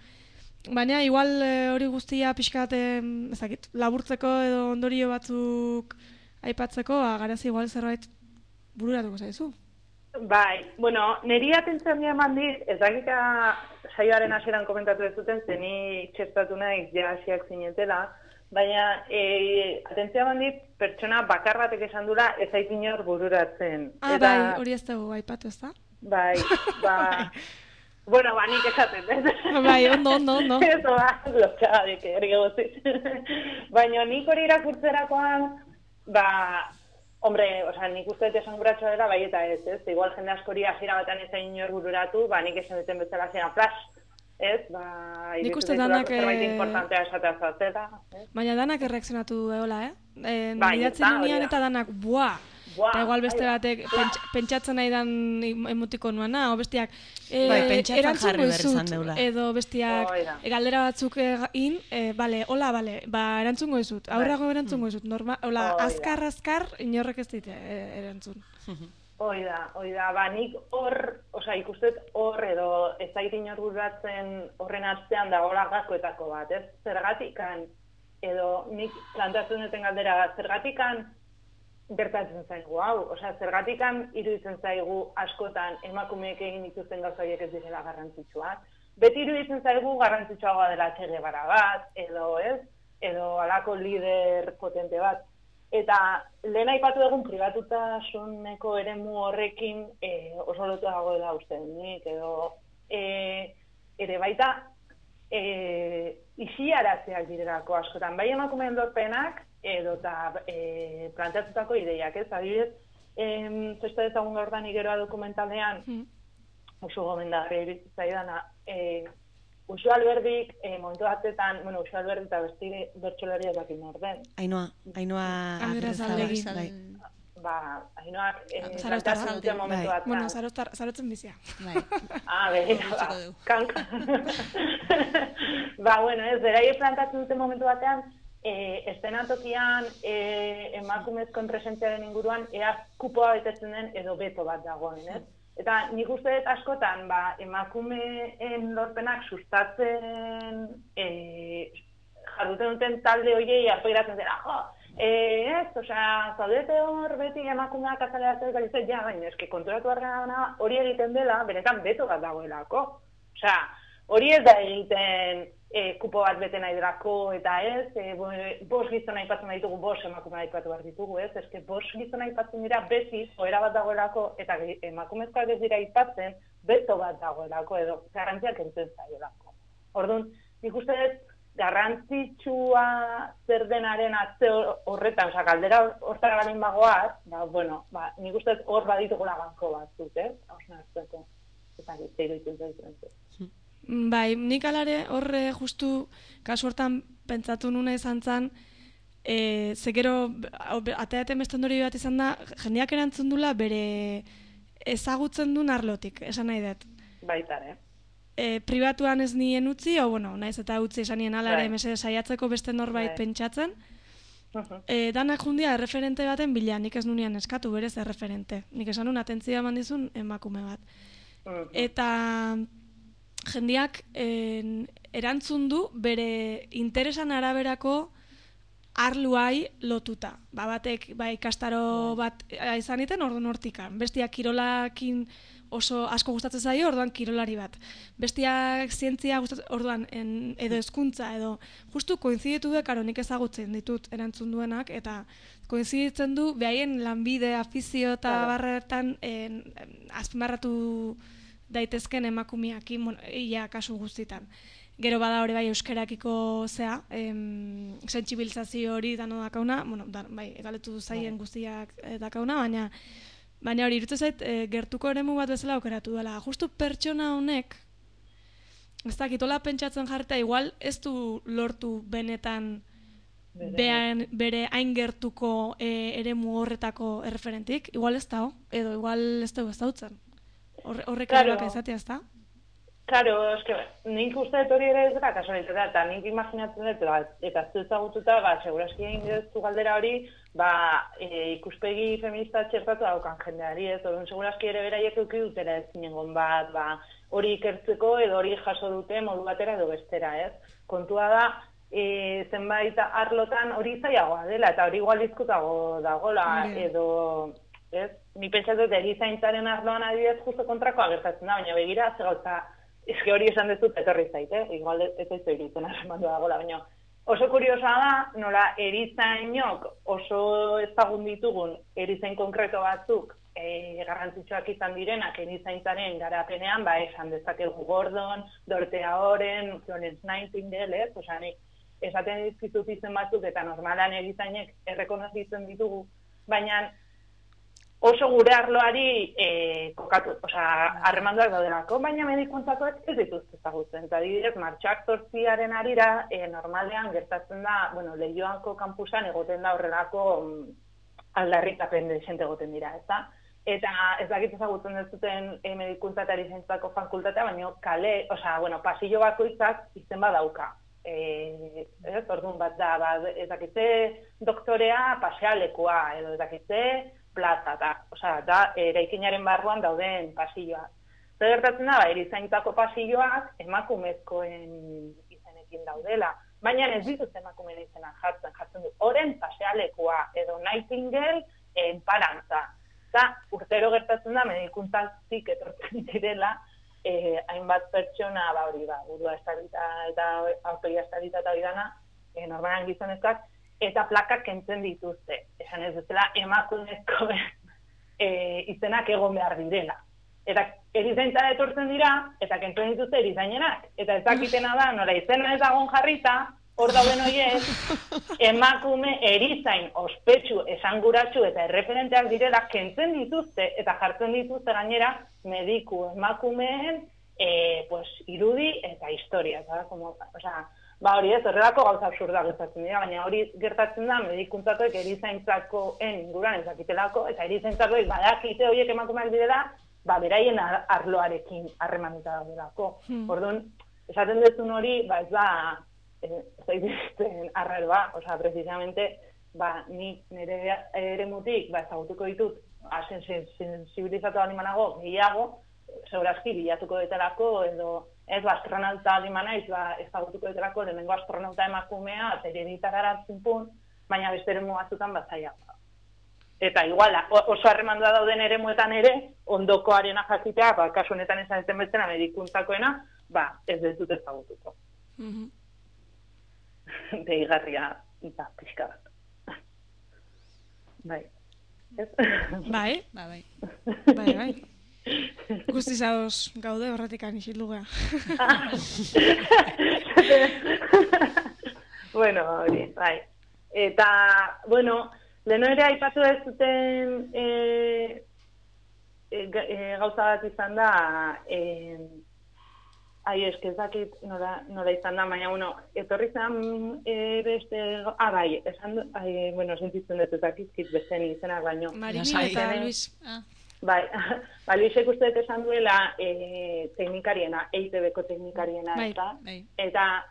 Baina, igual e, hori guztia pixkat, e, ezakit, laburtzeko edo ondorio batzuk aipatzeko, ba, garazi igual zerbait bururatuko zaizu. Bai, bueno, niri atentzia handia eman dit, ez dakika saioaren hasieran komentatu ez duten, zeni txertatu naiz ja hasiak zinetela, baina e, atentzia eman dit, pertsona bakar batek esan dula ez zait inor bururatzen. Ah, Eta- bai, hori ez dugu aipatu, ez da? Bai, ba... Bueno, ba, nik esaten, ez? Bai, ondo, ondo, ondo. Eso da, lotxagadik, erge guztiz. Baina nik hori irakurtzerakoan, ba, hombre, osea, nik uste dut esan guratxoa dela, bai eta ez, ez? Igual jende askori hasiera batean ez da inor bururatu, ba, nik esan duten bezala zena flash, ez? Ba, Nik iruditu uste zaitulako danak, zerbait eh, importantea esatea zatela, ez? Baina danak erreakzionatu eola, eh? E, Bai, Nidatzen ez da, hori nian da. eta danak, buah! Buah, Eta igual beste ai, batek pentsa, pentsatzen nahi dan emotiko nuana, o bestiak e, Bai, pentsatzen erantzungo jarri behar dizut, izan deula. edo bestiak Hoi da. e, galdera batzuk egin, e, bale, hola, bale, ba, erantzungo dizut, aurrago erantzungo dizut, norma, hola, Hoi da. azkar, azkar, inorrek ez dit e, erantzun. Hoi da, hoi da, ba, nik hor, osea, ikustet hor edo ez zait inor bururatzen horren atzean dagoela gakoetako bat, ez? Zergatikan, edo nik plantatzen duten galdera, zergatikan gertatzen zaigu, hau, osea, zergatikan iruditzen zaigu askotan emakumeek egin dituzten gauza horiek ez direla garrantzitsuak. Beti iruditzen zaigu garrantzitsuagoa dela Che Guevara bat, edo ez, edo halako lider potente bat. Eta lehen aipatu egun pribatutasuneko eremu horrekin e, oso lotu dagoela uste nik, edo e, ere baita e, isiaratzeak direlako askotan, bai emakumeen lorpenak edo eta e, planteatutako ideiak, ez? Adibidez, em, zesta ezagun gaur da nigeroa dokumentalean, Mm. oso gomendagarria iritsi zaidana, e, Uxo Alberdik, e, momentu batetan, bueno, Uxo Alberdi eta besti bertsolariak bakin orden, Ainoa, Ainoa Agirrezabala. Bai. ba, hainoak e, Zarauztarra. planteatzen duten momentu Bai. batean. Bueno, zaroztar, zarotzen bizia. Bai. Ah, begira, ba, Utziko dugu. kank. Ba, bueno, ez, beraiek plantatzen duten momentu batean, e, estenatokian e, emakumezkoen presentziaren inguruan ea kupoa betetzen den edo beto bat dagoen, ez? Eta nik uste dut askotan, ba, emakumeen lorpenak sustatzen e, jarduten duten talde hoiei arpegiratzen zera, jo, e, ez, osea, zaudete hor beti emakumeak azaleratzen galitzen, ja, baina eski konturatu argana hori egiten dela, benetan beto bat dagoelako. Osea, hori ez da egiten e, kupo bat bete nahi delako, eta ez, e, bo, bos gizona aipatzen ditugu, bos emakume aipatu behar ditugu, ez, eske bos gizona aipatzen dira beti, joera bat dagoelako, eta emakumezkoak ez dira aipatzen, beto bat dagoelako, edo garrantziak entzen zaiolako. Orduan, nik uste ez, garrantzitsua zer denaren atze horretan, oza, kaldera hortara garen bagoaz, ba, bueno, ba, nik uste ez hor baditugula banko batzuk, ez, hausna eztueko, eta gitzeiru ikutzen. Bai, nik alare horre justu kasu hortan pentsatu nuna izan zan, e, zekero, ateaten beste ondori bat izan da, jendeak erantzun dula bere ezagutzen duen arlotik, esan nahi dut. Baitare. E, pribatuan ez nien utzi, o bueno, naiz eta utzi esan nien alare, Bai. mese saiatzeko beste norbait Bai. pentsatzen, Uh-huh. e, danak jundia erreferente baten bila, nik ez nunian eskatu, berez erreferente. Nik esan nun atentzia eman dizun emakume bat. Uh-huh. Eta jendiak en, erantzun du bere interesan araberako arluai lotuta. Ba, batek ba, ikastaro bat izan iten, orduan hortikan. Bestiak kirolakin oso asko gustatzen zaio, orduan kirolari bat. Bestiak zientzia gustatzen, orduan en, edo hezkuntza edo justu koinziditu du, karo nik ezagutzen ditut erantzun duenak, eta koinziditzen du behaien lanbide, afizio eta Claro. barretan en, en, azpimarratu daitezken emakumeakin, bueno, ia kasu guztitan. Gero bada hori bai euskarakiko zea, em, sentsibilizazio hori dano dakauna, bueno, da, bai, egaletu zaien guztiak eh, dakauna, baina baina hori irutzen zait e, gertuko eremu bat bezala aukeratu dela. Justu pertsona honek, ez dakitola pentsatzen jarreta, igual ez du lortu benetan Bere- bean, bere hain gertuko e, eremu horretako erreferentik, igual ez da, edo igual ez dugu ez dautzen. Horre, horrek Claro. claro. Ezatea ez da? Claro, eske, nik uste dut hori ere ez dela kasualitatea, eta nik imaginatzen dut, ba, eta ez ezagututa, ba, segurazki egin duzu galdera hori, ba, e, ikuspegi feminista txertatu daukan jendeari, ez, orduan segurazki ere beraiek euki dutera ez zinengon bat, ba, hori ikertzeko edo hori jaso dute modu batera edo bestera, ez. Kontua da, e, zenbait arlotan hori zailagoa dela, eta hori igual izkutago dagola, Hori. edo, ez, ni pentsatzen dut erizaintzaren arloan adibidez justo kontrakoa gertatzen da, baina begira, ze gauza, eske hori esan dezut etorri zait, eh? Igual ez ez iruditzen arremandu dagoela, baina oso kuriosa da, nola erizainok oso ezagun ditugun erizain konkreto batzuk e, garrantzitsuak izan direnak erizaintzaren garapenean, ba, esan dezakegu Gordon, Dorothea Oren, Florence Nightingale, ez? Osea, nik esaten dizkizut izen batzuk eta normalan erizainek errekonozitzen ditugu, baina oso gure arloari e, kokatu, osea, harremanduak daudelako, baina medikuntzatuak ez dituzte ezagutzen. Eta adibidez, martxoak zortziaren arira, e, normalean gertatzen da, bueno, Leioako kampusan egoten da horrelako mm, aldarrikapen desente egoten dira, ezta? Eta ez dakit ezagutzen dezuten e, medikuntza eta erizaintzako fakultatea, baina kale, osea, bueno, pasillo bakoitzak izen badauka. Eh, ez, orduan bat da, ba, ez dakitze doktorea pasealekua, edo ez dakitze plaza, da, osea, da, eraikinaren barruan dauden pasilloak. Zer gertatzen da, ba, erizaintzako pasilloak emakumezkoen izenekin daudela, baina ez dituz emakumeen izena jartzen, jartzen du, oren pasealekua, edo Nightingale enparantza. Eta urtero gertatzen da, medikuntzatik etortzen direla, eh, hainbat pertsona, ba, hori, ba, burua estalita eta autoia estalita eta hori dana, eh, normalan gizonezkoak, eta plakak kentzen dituzte. Esan ez dutela emakumezko e, izenak egon behar direla. Eta erizaintzara etortzen dira, eta kentzen dituzte erizainenak. Eta ez dakitena da, nola izena ez dagoen jarrita, hor dauden horiek, emakume erizain ospetsu, esanguratsu eta erreferenteak direla kentzen dituzte, eta jartzen dituzte gainera mediku emakumeen e, pues, irudi eta historia. Eta, como, osea, ba hori ez, horrelako gauza absurda gertatzen dira, baina hori gertatzen da medikuntzatuek erizaintzakoen inguruan ez dakitelako, eta erizaintzakoek badakite horiek emakumeak direla, ba beraien ar arloarekin harremanuta daudelako. Hmm. Orduan, esaten duzun hori, ba ez da, ez zaitezten arraroa, osea, precisamente, ba, ni nire eremutik, ba, ezagutuko ditut, asen sensibilizatu animanago gehiago, segurazki bilatuko detelako, edo ez, ba, astronauta alimanaiz, ba, ezagutuko detelako, lehenengo astronauta emakumea, zereditar garatzen pun, baina beste eremu batzutan batzaia. Eta igual, oso harremandua dauden eremuetan ere, ondokoarena jakitea, ba, kasu honetan esan ezten bezala medikuntzakoena, ba, ez dezut ezagutuko. Mm-hmm. deigarria da pixka bat. Bai. Ez? Bai, Ba, bai. bai, bai. Guztiz ados gaude horretikan isilduga. Bueno, hori, bai. Eta, bueno, leheno ere aipatu ez zuten e, e, e, gauza bat izan da, e, ai, eske ez dakit nola, nola izan da, baina, bueno, etorri zen e, beste, ah, bai, esan, ai, bueno, sentitzen dut ez dakizkit beste izenak baino. Marimin eta Luis. Ah. Bai, ba, Luisek uste dut esan duela e, teknikariena, E I T B-ko teknikariena, Bai, eta, bai. eta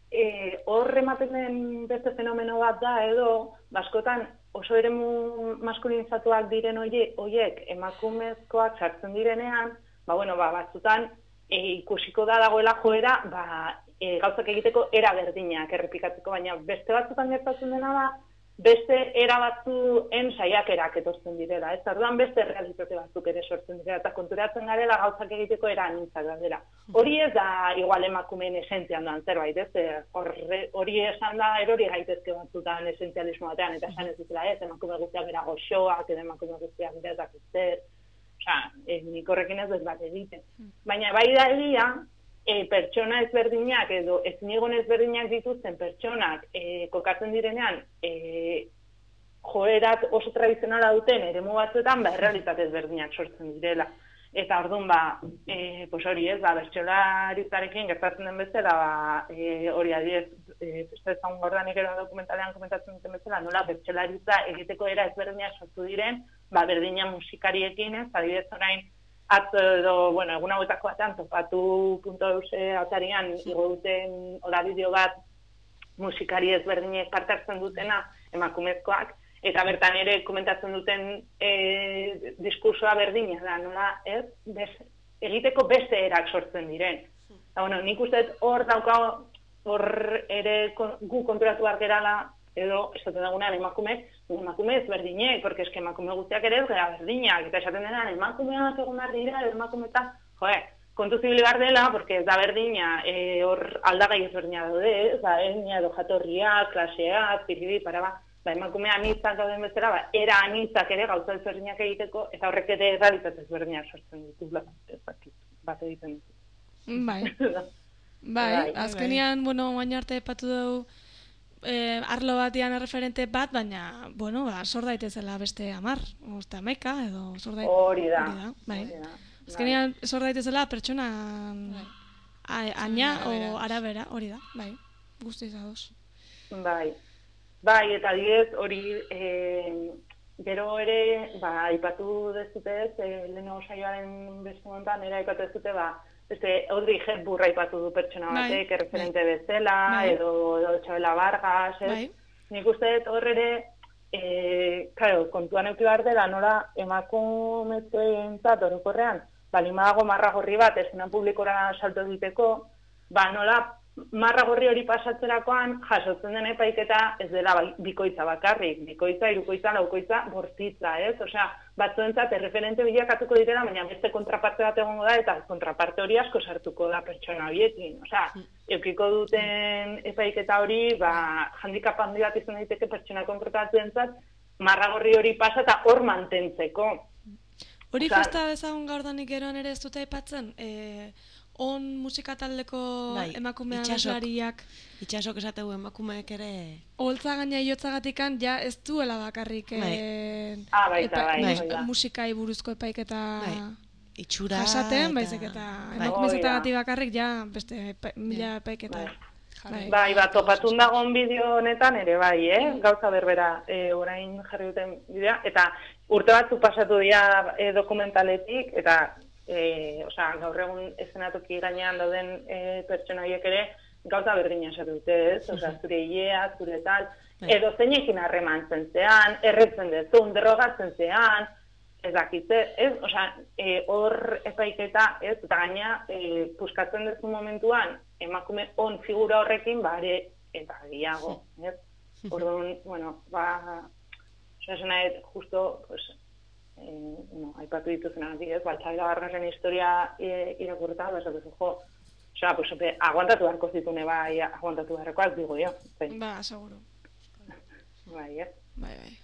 e, hor ematen den beste fenomeno bat da, edo, baskotan oso eremu maskulinizatuak diren oie, oiek emakumezkoak sartzen direnean, ba, bueno, ba, batzutan e, ikusiko da dagoela joera, ba, e, gauzak egiteko era berdinak errepikatzeko, baina beste batzutan gertatzen dena da, beste era batzuen saiakerak etortzen direla, ez? Orduan beste realitate batzuk ere sortzen direla, eta konturatzen garela gauzak egiteko era anintzak dela. Hori ez da igual emakumeen esentzian doan zerbait, ez? Hori esan da erori gaitezke batzutan esentzialismo batean, eta esan ez dutela ez, emakume guztiak bera goxoak, edo emakume guztiak bera ez dakitzer, osea, nik horrekin ez dut bat egiten. Baina bai da egia, E, pertsona ezberdinak edo ezinigon ezberdinak dituzten pertsonak e, kokatzen direnean e, joerat oso tradizionala duten eremu batzuetan ba, errealitate ezberdinak sortzen direla. Eta orduan ba, e, pues hori ez, ba, bertsolarizarekin gertatzen den bezala, ba, e, hori adiez, e, ezan gordanik ero dokumentalean komentatzen duten bezala, nola bertsolariza egiteko era ezberdinak sortu diren, ba, berdina musikariekin ez, adibidez orain, atzo edo, bueno, egun hauetako batean, topatu punto euse atarian, igo duten hola bideo bat musikari ezberdinek parte hartzen dutena, emakumezkoak, eta bertan ere komentatzen duten e, diskursoa berdina da, nola, ez? Bez, egiteko beste erak sortzen diren. Eta, bueno, nik uste hor daukago, hor ere gu konturatu behar gerala, edo, esaten dagunean, emakumeek, emakume ezberdinek, porque eske emakume guztiak ere ez gara berdinak, eta esaten denean, emakumeak egon behar dira, emakume eta, joe, kontu zibili behar dela, porque ez da berdina, hor e, aldagai ezberdina daude, ez da, etnia edo jatorria, klasea, piridi, para ba, ba emakumea anitzak dauden bezala, ba, era anitzak ere gauza ezberdinak egiteko, eta horrek ere realitate ezberdinak sortzen ditu, bat egiten ditu. Bai, bai, azkenian, bueno, baina arte epatu dugu, Eh, arlo batian referente bat, baina, bueno, ba, sor daitezela beste amar, osta meka, edo sor daitezela. Hori da. Bai. Azkenean, sor daitezela pertsona aina o arabera, hori da, bai, guztiz ados. Bai, bai, eta diez, hori, e, gero ere, ba, aipatu dezute ez, e, leheno saioaren beste montan, ere aipatu dezute, ba, Este, Audrey Hepburn aipatu du pertsona batek, bai, referente bai. bezala, bai. edo, edo Txabela Vargas, ez? Bai. Nik uste dut hor ere, e, claro, kontuan euki behar dela, nola emakumezkoentzat orokorrean, bali badago marra gorri bat, eszenan publikora salto egiteko, ba nola marra gorri hori pasatzerakoan jasotzen den epaiketa ez dela bikoitza bakarrik, bikoitza, hirukoitza, laukoitza, bortitza, ez? Osea, batzuentzat erreferente bilakatuko direla, baina beste kontraparte bat egongo da, eta kontraparte hori asko sartuko da pertsona horiekin. Osea, eukiko duten epaiketa hori, ba, handikap handi bat izan daiteke pertsona kontrapatuentzat, marra gorri hori pasa eta hor mantentzeko. Hori festa bezagun gaur danik eroan ere ez dute aipatzen, eh, on musika taldeko bai, emakumean aslariak. Itxasok esategu emakumeek ere... Holtza gaina iotzagatikan, ja ez duela bakarrik bai. ah, baita, epa, bai, bai, bai. musikai buruzko epaiketa bai. Itxura jasaten, eta... baizik eta emakumezetagati bakarrik ja beste epa, mila epaiketa. Bai, bai, bai bat topatun dagoen bideo honetan ere bai, eh? Gauza berbera, e, orain jarri duten bidea, eta urte batzu pasatu dira e, dokumentaletik, eta E, osea, gaur egun eszenatoki gainean dauden e, pertsona horiek ere gauza berdina esatu dute, ez? Osea, zure hilea, zure tal, edo zeinekin harremantzen zean, erretzen dezun, drogatzen zean, ez dakitze, ez? Osea, e, hor epaiketa, ez? Eta gaina, e, puskatzen dezu momentuan, emakume on figura horrekin, bare, eta gehiago, ez? Orduan, bueno, ba, osea, esena ez, justo, pues, Eh, no, aipatu dituzen adiez, ba, Txabela Vargasen historia e, irakurta, ba, esatu jo, Osea, pues, aguantatu beharko zitune, bai, aguantatu beharrekoak digo jo. Ba, seguro. Bai, ez? Bai, bai.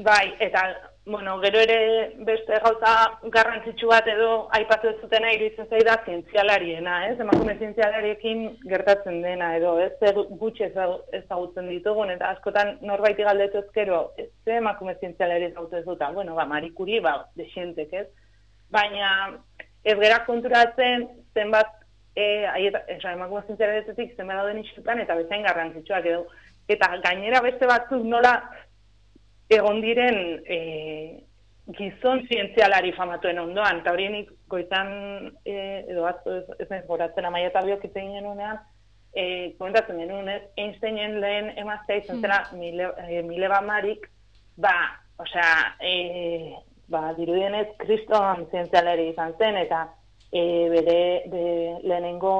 Bai, eta, bueno, gero ere beste gauza garrantzitsu bat edo aipatu ez zutena iruditzen zaida zientzialariena, ez? Emakume zientzialariekin gertatzen dena edo, ez? Zer gutxi ezagutzen ditugun, eta askotan norbaiti galdetu ezkero, ez ze emakume zientzialari ezagutu ez duta? Bueno, ba, Marie Curie, ba, desientek, ez? Baina ez gera konturatzen zenbat e, aieta, esa, emakume zientzialaretetik zenbat dauden isiltan eta bezain garrantzitsuak edo. Eta gainera beste batzuk nola egon diren e, gizon zientzialari famatuen ondoan, eta horienik goizan e, edo atzo ez, ez naiz goratzen Amaia eta biok itzen genunean, e, komentatzen genuen, ez, Einsteinen lehen emaztea izan zela hmm. Mile, e, Mileva Marik, ba, osea, e, ba, dirudienez kriston zientzialari izan zen, eta e, bere de, lehenengo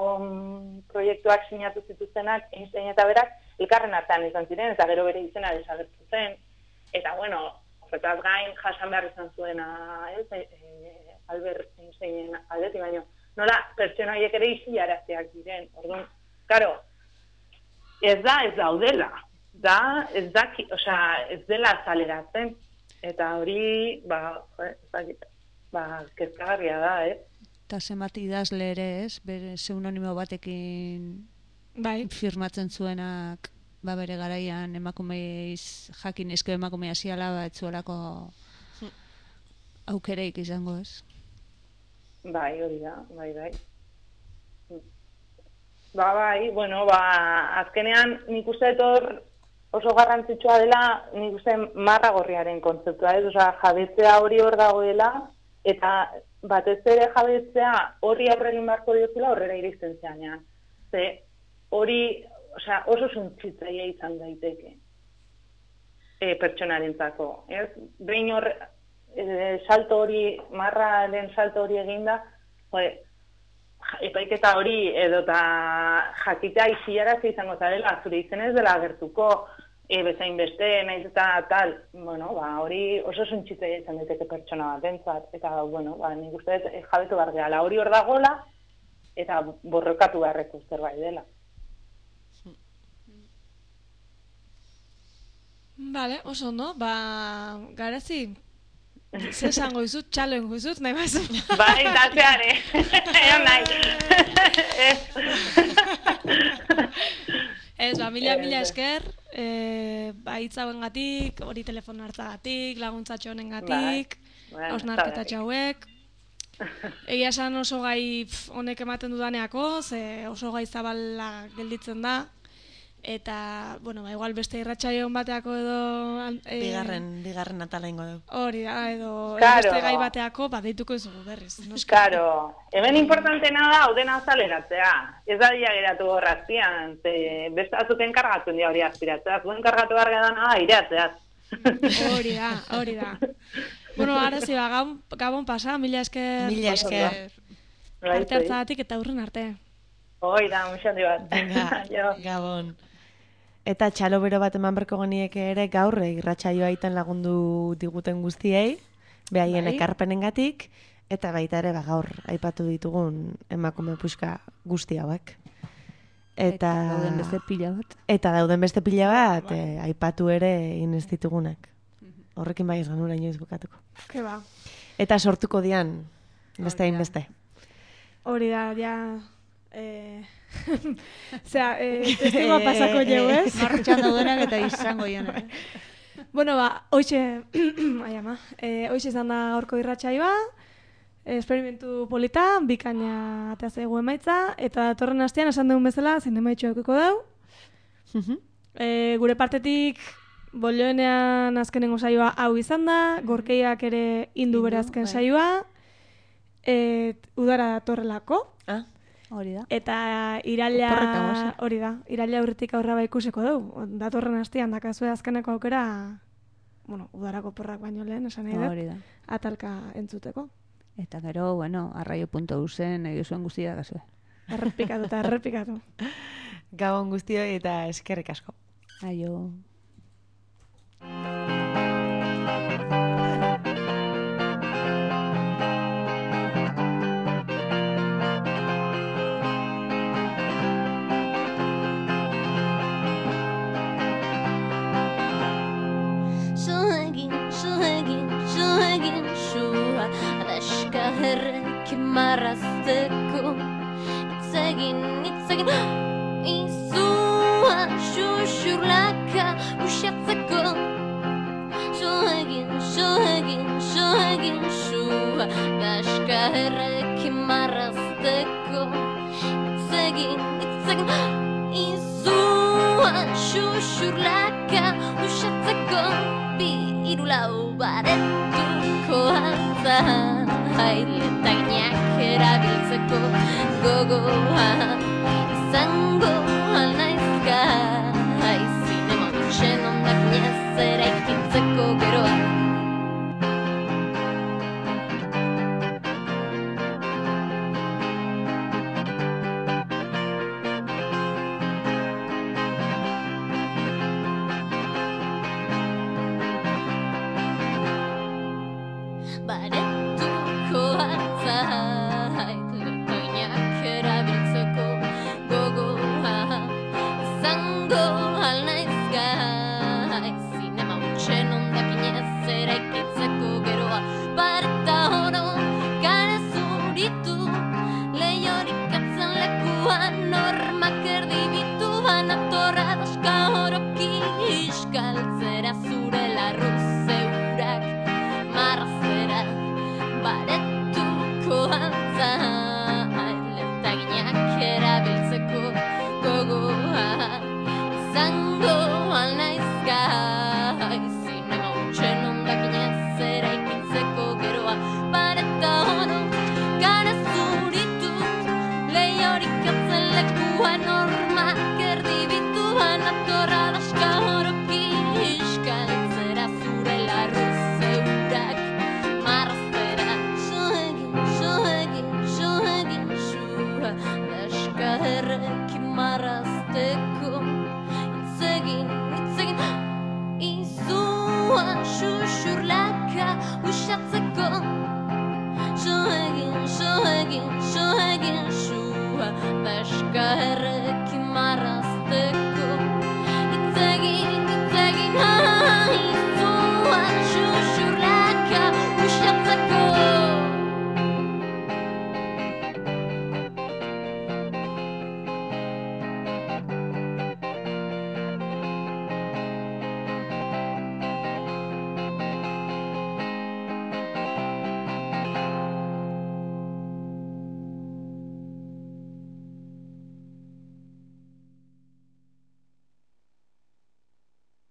proiektuak sinatu zituztenak Einstein eta berak elkarren artean izan ziren, eta gero bere izena desagertu zen. Eta, bueno, horretaz gain jasan behar izan zuena, ez, e, Albert Einsteinen aldetik, baino, nola, pertsona horiek ere isilarazteak diren. Orduan, karo, ez da, ez daudela. Da, ez da, osea, ez dela azaleratzen. Eta hori, ba, ez ba, kezkagarria da, ez? Eta zenbat idazle ere, ez? Bere pseudonimo batekin bai. Firmatzen zuenak, ba bere garaian emakumeiz jakin esko emakumea ziala, ba etzuelako aukereik izango, ez? Bai, hori da, bai, bai. Ba, bai, bueno, ba, azkenean nik uste etor oso garrantzitsua dela, nik uste marra gorriaren kontzeptua, ez? Osa, jabetzea hori hor dagoela, eta batez ere jabetzea horri aurre egin beharko diozula horrera iristen zeanean. Ze, hori, osea, oso suntzitzaia izan daiteke e, pertsonarentzako, ez? Behin hor, e, salto hori, marraren salto hori eginda, joe, epaiketa hori edo eta jakitea isiarazi izango zarela, zure izenez dela agertuko, e, bezain beste, naiz eta tal, bueno, ba, hori oso suntzitzaia izan daiteke pertsona bat entzat, eta, bueno, ba, nik uste e, jabetu behar gehala, hori hor dagoela, eta borrokatu beharreko zerbait dela. Vale, oso ondo, ba, Garazi, ze esango izut, txalo ingo izut, nahi bazu. Bai, dateare, egon nahi. Ez, ba, mila, mila esker, e, ba, hitzauen gatik, hori telefono hartzagatik, laguntzatxo honen gatik, hausnarketa txauek. Egia esan oso gai honek ematen dudaneako, ze oso gai zabala gelditzen da. Eta, bueno, ba, igual beste irratsaio bateako edo... E, bigarren, bigarren atala ingo dugu. Hori da, edo, edo beste gai bateako, ba, deituko izugu berriz. Karo, hemen importantena da, hau dena azaleratzea. Ez da dia geratu horraztian, ze beste azuten kargatzen dia hori aspiratzea. Zuen kargatu behar dana aireatzeaz. Hori da, hori da. Bueno, ara zi, ba, gabon, gabon pasa, mila esker... Mila esker. Arte hartzagatik eta urren arte. Hoi da, muxandi bat. Venga, gabon. Eta txalo bero bat eman berko genieke ere gaur irratsaioa iten lagundu diguten guztiei, behaien bai. Ekarpenengatik, eta baita ere ba, gaur aipatu ditugun emakume puxka guzti hauek. Eta, eta dauden beste pila bat. Eta dauden beste pila bat, bai. eh, aipatu ere inez ditugunak. Horrekin bai ez ganura inoiz bukatuko. Ke ba. Eta sortuko dian, beste hain beste. Hori da, ja... Eh... Osea, eh, testigoa pasako jau, ez? Martxan daudenak eta izango joan. Bueno, ba, hoxe, ai ama, eh, hoxe izan da gaurko irratsaioa, esperimentu polita, bikaina atea zaigu emaitza, eta datorren astean esan dugun bezala, zein emaitxo eukiko dau. eh, gure partetik, bolioenean azkenengo saioa hau izan da, gorkeiak ere indu bere azken saioa, et, udara datorrelako. Ah. Hori da. Eta iraila hori da, iraila aurretik aurra ba ikusiko dugu. Datorren astean dakazue azkeneko aukera, bueno, udarako porrak baino lehen, esan nahi dut. Hori da. Atalka entzuteko. Eta gero, bueno, arraio puntu usen, nahi zuen guztia dakazue. Errepikatu eta errepikatu. Gabon guztioi eta eskerrik asko. Aio. errek marrazteko. Itzegin, itzegin, izua xuxurlaka usatzeko. So egin, so egin, so egin sua daska errek marrazteko. Itzegin, itzegin, izua xuxurlaka usatzeko. Bi irulau baretuko altza hailetaginak erabiltzeko gogoa izango alnaizka zinema bitxen ondak niazera ikitzeko geroa. But